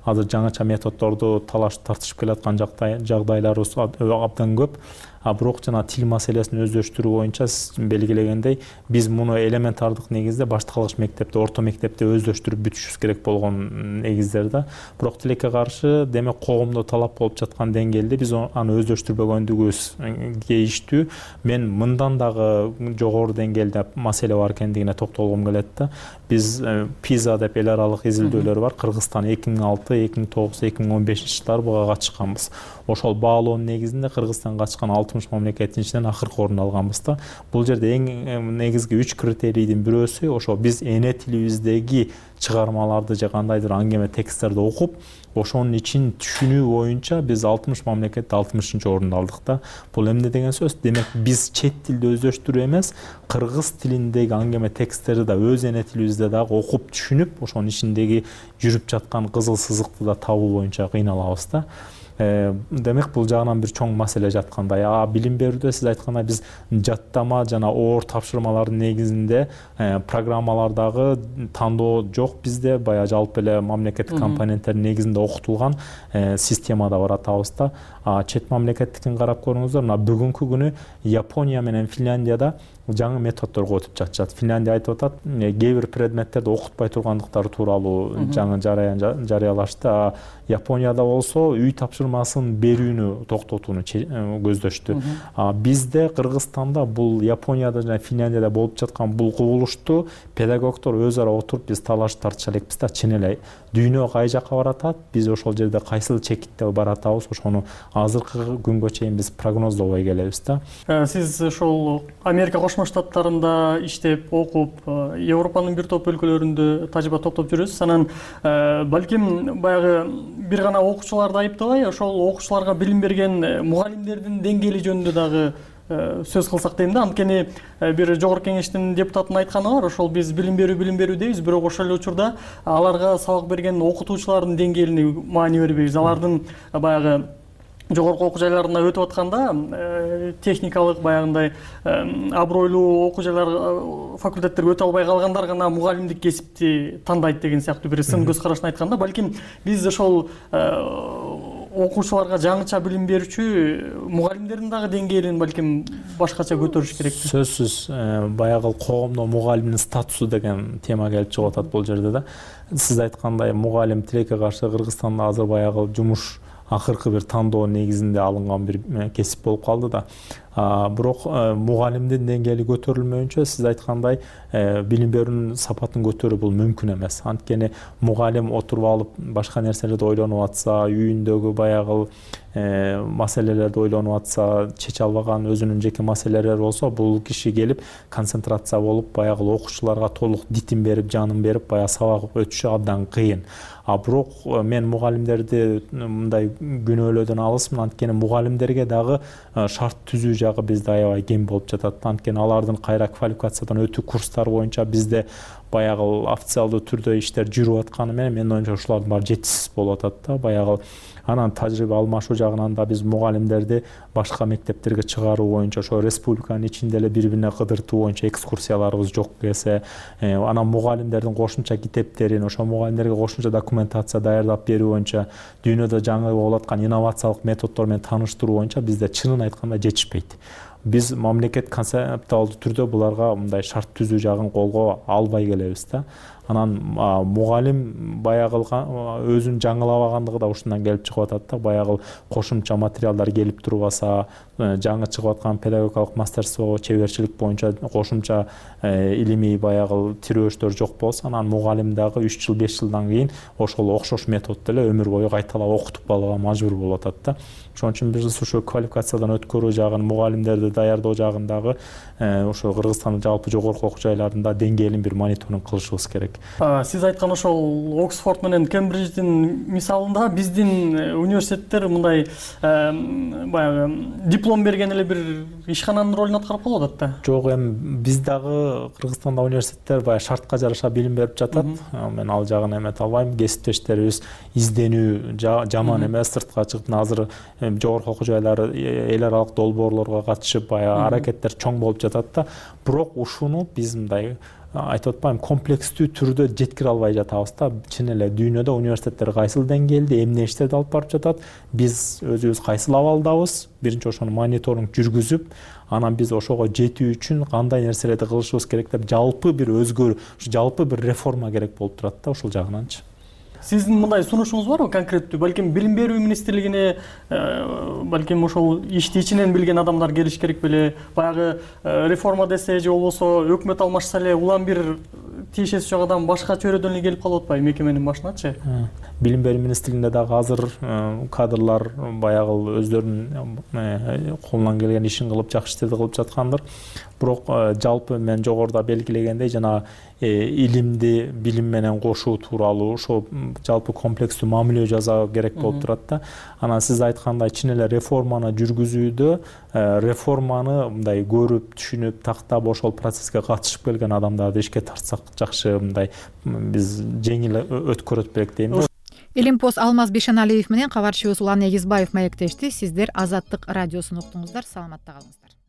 Speaker 22: Азыр жаңыча методдорду талаш тартышып келаткан жагдайларыбыз абдан көп. Бирок жана тил маселесин өздөштүрүү боюнча сиз белгилегендей, биз муну элементардык негизде башталгыч мектепте, орто мектепте өздөштүрүп бүтүшүбүз керек болгон негиздерде. Бирок тилекке каршы, демек коомдо талап болуп жаткан деңгээлде биз аны өздөштүрбөгөндүгүбүз кейиштүү. Мен мындан дагы жогору деңгээлде маселе бар экендигине токтолгум келет да. Биз PISA деп эл аралык изилдөөлөр бар. Кыргызстан 2006, 2009, 2015 жылдары буга катышканбыз. Ошол баалоонун негизинде Кыргызстан катышкан 60 мамлекеттин ичинен акыркы орун алганбыз да. Бул жерде эң негизги 3 критерийдин бирөөсү ошо биз эне тилибиздеги чыгармаларды же кандайдыр аңгеме тексттерди окуп, ошонун ичин түшүнүү боюнча биз 60 мамлекетте 60-орунду алдык да. Бул эмне деген сөз? Демек биз чет тилди өздөштүрүү эмес, кыргыз тилиндеги аңгеме тексттерди да өз эне тилибизде дагы окуп түшүнүп, ошонун ичиндеги жүрүп жаткан кызыл сызыкты да табуу боюнча кыйналабыз да. Демек бул жагынан бир чоң маселе жаткандай. Билим берүүдө сиз айткандай биз жаттама жана оор тапшырмалардын негизинде программалардагы тандоо жок бизде. Баягы жалпы эле мамлекеттик компоненттердин негизинде окутулган системада баратабыз да. Чет мамлекеттикин карап көрүңүздөр. Мына бүгүнкү күнү Япония менен Финляндияда жаңы методдорго өтүп жатышат. Финляндия айтып атат, кээ бир предметтерди окутпай тургандыктары тууралуу жаңы жараян жарыялашты. Японияда болсо үй тапшырмасын берүүнү токтотууну көздөштү. Бизде Кыргызстанда бул Японияда жана Финляндияда болуп жаткан бул кубулушту педагогдор өз ара отуруп биз талаш тартыша элекпиз да. Чын эле дүйнө кай жакка баратат, биз ошол жерде кайсыл чекитте баратабыз, ошону азыркы күнгө чейин биз прогноздобой келебиз да.
Speaker 5: Сиз ошол Америка Кошмо Штаттарында иштеп, окуп, Европанын бир топ өлкөлөрүндө тажрыйба топтоп жүрөсүз. Анан балким баягы бир гана окуучуларды айыптабай, ошол окуучуларга билим берген мугалимдердин деңгээли жөнүндө дагы сөз кылсак дейм да. Анткени бир жогорку кеңештин депутатынын айтканы бар, ошол биз билим берүү дейбиз, бирок ошол эле учурда аларга сабак берген окутуучулардын деңгээлине маани бербейбиз. Алардын баягы жогорку окуу жайларына өтүп атканда техникалык баягындай абройлуу окуу жайлар факультеттерге өтө албай калгандар гана мугалимдик кесипти тандайт деген сыяктуу бир сын көз карашын айтканда, балким биз ошол окуучуларга жаңыча билим берүүчү мугалимдердин дагы деңгээлин балким башкача көтөрүш керек.
Speaker 22: Сөзсүз баягы коомдо мугалимдин статусу деген тема келип чыгып атат бул жерде да. Сиз айткандай мугалим тилекке каршы Кыргызстанда азыр баягы жумуш акыркы бир тандоо негизинде алынган бир кесип болуп калды да. Бирок мугалимдин деңгээли көтөрүлмөйүнчө сиз айткандай билим берүүнүн сапатын көтөрүү бул мүмкүн эмес. Анткени мугалим отуруп алып башка нерселерди ойлонуп атса, үйүндөгү баягы маселелерди ойлонуп атса, чече албаган өзүнүн жеке маселелери болсо, бул киши келип концентрация болуп баягы окуучуларга толук дитин берип, жанын берип баягы сабак өтүшү абдан кыйын. Бирок мен мугалимдерди мындай күнөөлөөдөн алысмын, анткени мугалимдерге дагы шарт түзүү жагы бизде аябай кем болуп жатат. Анткени алардын кайра квалификациядан өтүү курстары боюнча бизде баягы официалдуу түрдө иштер жүрүп атканы менен менин оюмча ушулардын баары жетишсиз болуп атат да. Баягы анан тажрыйба алмашуу жагынан да биз мугалимдерди башка мектептерге чыгаруу боюнча ошо республиканын ичинде эле бири бирине кыдыртуу боюнча экскурсияларыбыз жок эсе, анан мугалимдердин кошумча китептерин, ошо мугалимдерге кошумча документация даярдап берүү боюнча дүйнөдө жаңы болуп аткан инновациялык методдор менен тааныштыруу боюнча бизде чынын айтканда жетишпейт. Биз мамлекет концептуалдуу түрдө буларга мындай шарт түзүү жагын колго албай келебиз да. Анан мугалим баягы өзүн жаңылабагандыгы да ушундан келип чыгып атат да. Баягы кошумча материалдар келип турбаса, жаңы чыгып аткан педагогикалык мастерство, чеберчилик боюнча кошумча илимий баягы тирөөчтөр жок болсо, анан мугалим дагы 3 жыл 5 жылдан кийин ошол окшош методдо эле өмүр бою кайталап окутуп калууга мажбур болуп атат да. Ошон үчүн биз ушул квалификациядан өткөрүү жагын, мугалимдерди даярдоо жагындагы ошо Кыргызстандын жалпы жогорку окуу жайларында деңгээлин бир мониторинг кылышыбыз керек.
Speaker 5: Сиз айткан ошол Оксфорд менен Кембридждин мисалында биздин университеттер мындай баягы диплом берген эле бир ишкананын ролун аткарып калып атат да.
Speaker 22: Жок, эми биз дагы Кыргызстанда университеттер баягы шартка жараша билим берип жатат. Мен ал жагын эмете албайм. Кесиптештерибиз изденүү жаман эмес, сыртка чыгып азыр жогорку окуу жайлары эл аралык долбоорлорго катышып баягы аракеттер чоң болуп жатат да. Бирок ушуну биз мындай айтып атпайм, комплекстүү түрдө жеткире албай жатабыз да. Чын эле дүйнөдө университеттер кайсыл деңгээлде эмне иштерди алып барып жатат, биз өзүбүз кайсыл абалдабыз, биринчи ошону мониторинг жүргүзүп, анан биз ошого жетүү үчүн кандай нерселерди кылышыбыз керек деп жалпы бир өзгөрүү, жалпы бир реформа керек болуп турат да ошол жагынанчы.
Speaker 5: Сиздин мындай сунушуңуз барбы конкреттүү? Балким билим берүү министрлигине балким ошол ишти ичинен билген адамдар келиш керек беле? Баягы реформа десе же болбосо өкмөт алмашса эле улам бир тиешеси жок адам башка чөйрөдөн эле келип калып атпайбы мекеменин башыначы?
Speaker 22: Билим берүү министрлигинде дагы азыр кадрлар баягы өздөрүнүн колунан келген ишин кылып, жакшы иштерди кылып жаткандыр. Бирок жалпы мен жогоруда белгилегендей жана илимди билим менен кошуу тууралуу ошо жалпы комплекстүү мамиле жасоо керек болуп турат да. Анан сиз айткандай чын эле реформаны жүргүзүүдө реформаны мындай көрүп, түшүнүп, тактап ошол процесске катышып келген адамдарды ишке тартсак жакшы, мындай биз жеңил өткөрөт белек дейм.
Speaker 1: Илимпоз Алмаз Бишеналиев менен кабарчыбыз Улан Эгизбаев маектешти. Сиздер Азаттык радиосун уктуңуздар. Саламатта калыңыздар.